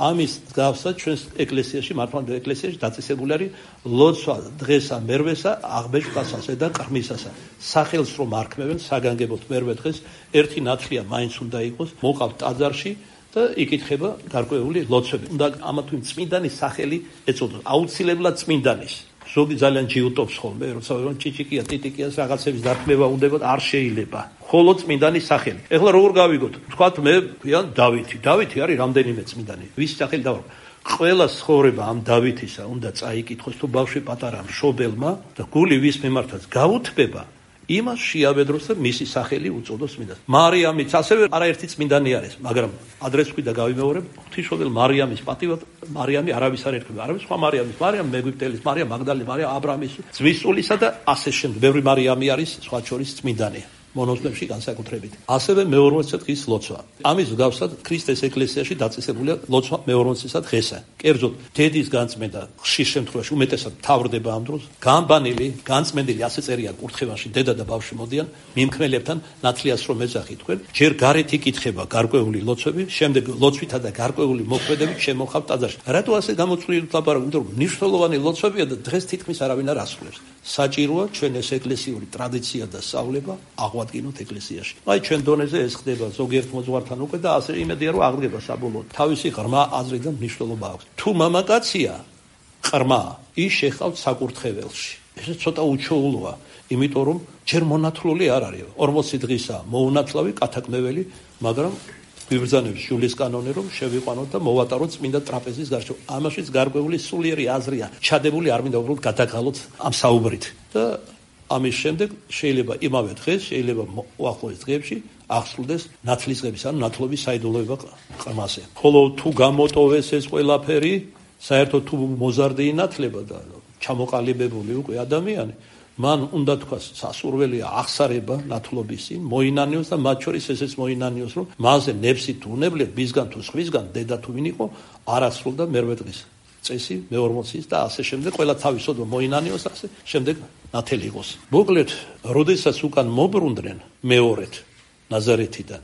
ამის გავსად ჩვენს ეკლესიაში, მართლმადიდებლურ ეკლესიაში დაწესებული არის ლოცვა დღესა მერვესა, აღბეჭდვასა და ყრმისასა. სახელს რომ არქმევენ საგანგებოდ მერვე დღეს ერთი ნათლია მაინც უნდა იყოს, მოყავთ ტაძარში და იკითხება გარკვეული ლოცვები. უნდა ამა თუ იმ წმინდანის სახელი ეწოდოს, აუცილებლად წმინდანის. ზოგი ძალიან ჯიუტობს ხოლმე, როცა რომ ჭიჭიკია, ტიტიკიას რაღაცების დარქმევა უნდებოდა, არ შეიძლება. ხოლო წმინდანის სახელი. ეხლა როგორ გავიგოთ? თქვათ მე ვთქვიან დავითი. დავითი არის რამდენიმე წმინდანი. ვის სახელი დავარ? ყველა ცხოვრება ამ დავითისა უნდა წაიკითხოს თუ ბავშვი პატარა მშობელმა და გული ვის მიმართაც გაუთბება, იმას შეაბედროს და მისი სახელი უწოდოს წმინდანს. მარიამიც ასევე არაერთი წმინდანი არის, მაგრამ ადრეს ვქვი და გავიმეორებ, ღვთისმშობელ მარიამის პატივად მარიამი არავის არ ერქვა, არავის სხვა მარიამის, მარიამ მეგვიპტელის, მარიამ მაგდალენის, მარიამ აბრამის ძმისწულისა და ასე შემდეგ. ბევრი მარიამი არის სხვა შორის წმინდანი. მონოზვნებში განსაკუთრებით. ასევე მე-40 დღის ლოცვა. ამის მსგავსად ქრისტეს ეკლესიაში დაწესებულია ლოცვა მე-40 დღესა. კერძოდ დედის განწმენდა ხშირ შემთხვევაში უმეტესად თავრდება ამ დროს. გამბანილი, განწმენდილი ასე წერია კურთხევაში, დედა და ბავშვი მოდიან მიმქმნელებთან ნათლიას რომ ეძახით თქვენ. ჯერ გარეთ იკითხება გარკვეული ლოცვები, შემდეგ ლოცვითა და გარკვეული მოქმედებით შემოხავთ ტაძარში. რატო ასე გამოწვლილი ლაპარაკი? იმიტომ რომ მნიშვნელოვანი ლოცვებია და დღეს თითქმის არავინ არ ასრულებს. საჭიროა ჩვენ ეს ეკლესიური ტრადიცია და სწავლება აღვადგინოთ ეკლესიაში. აი ჩვენ დონეზე ეს ხდება ზოგიერთ მოძღვართან უკვე და ასე იმედია რომ აღდგება საბოლოოდ. თავისი ღრმა აზრი და მნიშვნელობა აქვს. თუ მამაკაცია ღრმა, ის შეხავთ საკურთხეველში. ეს ცოტა უჩვეულოა, იმიტომ რომ ჯერ მონათლული არ არის. 40 დღისა მოუნათლავი, კათაკმეველი, მაგრამ ვიბრძანებს ჯულის კანონი რომ შევიყვანოთ და მოვატაროთ წმინდა ტრაპეზის გარშემო. ამაშიც გარკვეული სულიერი აზრია. ჩადებული არ მინდა უბრალოდ გადაგალოთ ამ საუბრით. და ამის შემდეგ შეიძლება იმავე დღეს, შეიძლება უახლოეს დღეებში აღსრულდეს ნათლისღების ან ნათლობის საიდუმლოება ყრმაზე. ხოლო თუ გამოტოვეს ეს ყველაფერი, საერთოდ თუ მოზარდი ინათლება და ჩამოყალიბებული უკვე ადამიანი, მან უნდა თქვას სასურველია აღსარება ნათლობის წინ, მოინანიოს და მათ შორის ესეც მოინანიოს, რომ მასზე ნებსი თუ უნებლია, მისგან თუ სხვისგან, დედა თუ ვინ იყო, არ ასრულდა მერვე დღის წესი, მე-40 და ასე შემდეგ, ყველა თავისოდმა მოინანიოს, ასე შემდეგ ნათელი იყოს. მოკლედ, როდესაც უკან მობრუნდნენ მეორედ ნაზარეთიდან,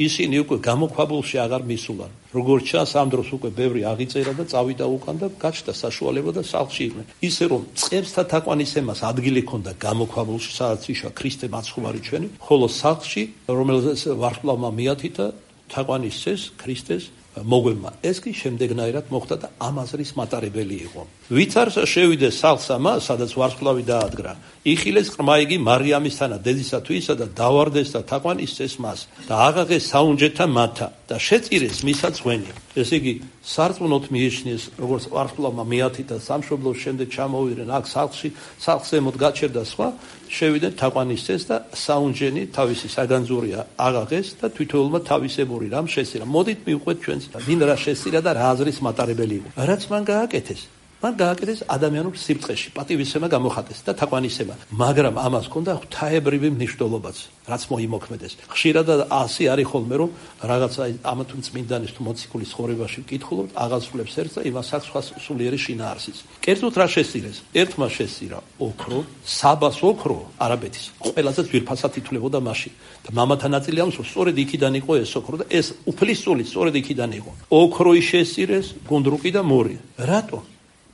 ისინი უკვე გამოქვაბულში აღარ მისულან. როგორც ჩანს, ამ დროს უკვე ბევრი აღიწერა და წავიდა უკან და გაჩნდა საშუალება და სახლში იყვნენ. ისე რომ წყებსთა თაყვანისცემას ადგილი ჰქონდა გამოქვაბულში, სადაც იშვა ქრისტე მაცხოვარი ჩვენი, ხოლო სახლში, რომელზეც ვარსკვლავმა მიათითა, თაყვანისცეს ქრისტეს მოგვემა. ეს კი შემდეგნაირად მოხდა და ამ აზრის მატარებელი იყო. ვით არ შევიდეს სახლსა მას, სადაც ვარსკვლავი დაადგრა, იხილეს ყრმა იგი მარიამისთანა დედისა თუ ისა და დავარდეს და თაყვანისცეს მას და აღაღეს საუნჯეთა მათა და შეწირეს მისა ძღვენი. ესე იგი სარწმუნოდ მიიჩნიეს, როგორც ვარსკვლავმა მიათითა სამშობლოს, შემდეგ ჩამოვიდნენ აქ სახლში, სახლს ზემოთ გაჩერდა სხვა, შევიდნენ თაყვანისცეს და საუნჯენი თავისი საგანძურია აღაღეს და თვითოეულმა თავისებური რამ შესწირა. მოდით მივყვეთ ჩვენს ვინ რა შესწირა და რა აზრის მატარებელი იყო. რაც მან გააკეთეს, მან გააკეთეს ადამიანურ სიბრწყეში, პატივისცემა გამოხატეს და თაყვანისცემა, მაგრამ ამას ჰქონდა ღვთაებრივი მნიშვნელობაც, რაც მოიმოქმედეს. ხშირად ასე არის ხოლმე, რომ რაღაცა ამა თუ წმინდანის თუ მოციქულის ცხოვრებაში ვკითხულობთ, აღასრულებს ერთს და იმას აქვს სხვა სულიერი შინაარსიც. კერძოდ რა შესწირეს? ერთმა შესწირა ოქრო, საბას ოქრო არაბეთის. ყველაზე ძვირფასად ითვლებოდა მაშინ. და მამათა ნაწილი ამის რომ სწორედ იქიდან იყო ეს ოქრო და ეს უფლისწული სწორედ იქიდან იყო. ოქროი შესწირეს, გუნდრუკი და მორი. რატო?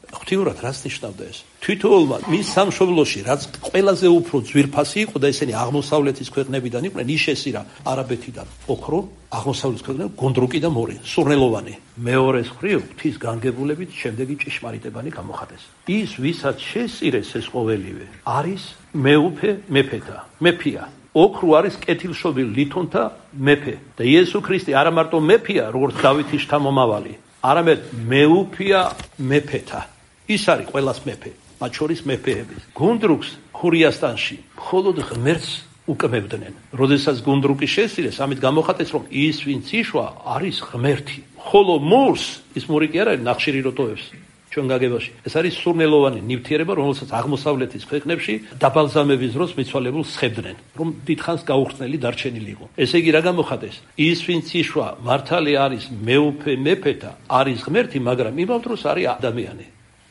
ღვთიურად რაც ნიშნავდა ეს? თვითოეულმა მის სამშობლოში რაც ყველაზე უფრო ძვირფასი იყო და ესენი აღმოსავლეთის ქვეყნებიდან იყვნენ, ის შესწირა არაბეთიდან ოქრო, აღმოსავლეთის ქვეყნებიდან გუნდრუკი და მორი, სურნელოვანი. მეორეს მხრივ ღვთის განგებულებით შემდეგი ჭიშმარიტებანი გამოხატეს. ის ვისაც შესწირეს ეს ყოველივე არის მეუფე მეფეთა, მეფია. ოქრო არის კეთილშობილ ლითონთა მეფე და იესო ქრისტე არა მარტო მეფია, როგორც დავითის შთამომავალი, არამედ მეუფია მეფეთა. ის არის ყველას მეფე, მათ შორის მეფეების. გუნდრუკს ხურიასტანში მხოლოდ ღმერთს უკმევდნენ. როდესაც გუნდრუკი შესწირეს, ამით გამოხატეს, რომ ის, ვინც იშვა, არის ღმერთი. ხოლო მურს ის მური კი არ არის ნახშირი როტოებს ჩვენ გაგებაში. ეს არის სურნელოვანი ნივთიერება, რომელსაც აღმოსავლეთის ქვეყნებში დაბალზამების დროს მიცვალებულ სხებდნენ, რომ დიდხანს გაუხრწნელი დარჩენილი იყო. ესე იგი რა გამოხატეს? ის, ვინც იშვა, მართალი არის მეუფე მეფეთა, არის ღმერთი, მაგრამ იმავდროულად დროს არის ადამიანი.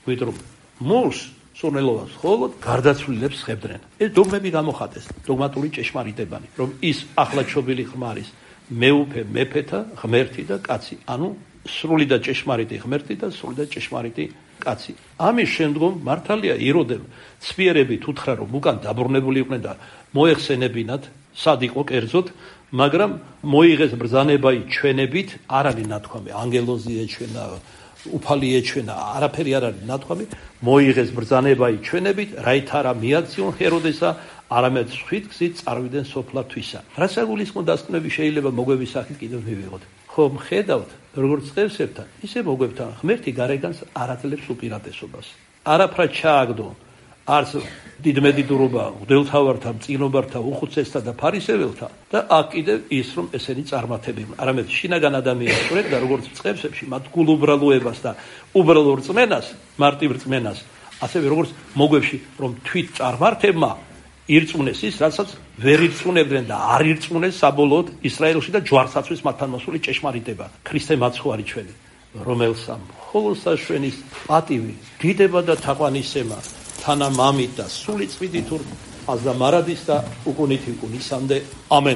ვიდრე მურს სურნელოვანს მხოლოდ გარდაცვლილებს სხებდნენ. ეს დოგმები გამოხატეს, დოგმატური ჭეშმარიტებანი, რომ ის ახლადშობილი ხმა არის მეუფე მეფეთა ღმერთი და კაცი, ანუ სრული და ჭეშმარიტი ღმერთი და სრული და ჭეშმარიტი კაცი. ამის შემდგომ მართალია იროდემ ცვიერებით უთხრა, რომ უკან დაბრუნებული იყვნენ და მოეხსენებინათ, სად იყო კერძოდ, მაგრამ მოიღეს ბრძანებაი ჩვენებით, არ არის ნათქვამი, ანგელოზი ეჩვენა, უფალი ეჩვენა, არაფერი არ არის ნათქვამი, მოიღეს ბრძანებაი ჩვენებით, რაით არა მიაქციონ ჰეროდესა, არამედ სხვით გზით წარვიდნენ სოფლათვისა. რაც საგულისხმო დასკვნები შეიძლება მოგვების სახით კიდევ მივიღოთ. ხომ ხედავთ, როგორც წევსებთან, ისე მოგვებთან ღმერთი გარეგანს არ აძლევს უპირატესობას. არაფრად ჩააგდო არც დიდმედიდურობა მღვდელთავართა, მწიგნობართა, უხუცესთა და ფარისეველთა და აქ კიდევ ის, რომ ესენი წარმართებენ. არამედ შინაგან ადამიანს ვრევდა, როგორც წევსებში, მათ გულუბრალოებას და უბრალო რწმენას, მარტივ რწმენას, ასევე როგორც მოგვებში, რომ თვით წარმართებმა ირწმუნეს ის, რასაც ვერ ირწმუნებდნენ და არ ირწმუნეს საბოლოოდ ისრაელში და ჯვარსაცვის მათთან მოსული ჭეშმარიტება. ქრისტე მაცხოვარი ჩვენი, რომელსა მხოლოდ საშვენის პატივი, დიდება და თაყვანისცემა, თანა მამით და სული წვიდით აზდა მარადის და უკუნით უკუნისამდე. ამენ.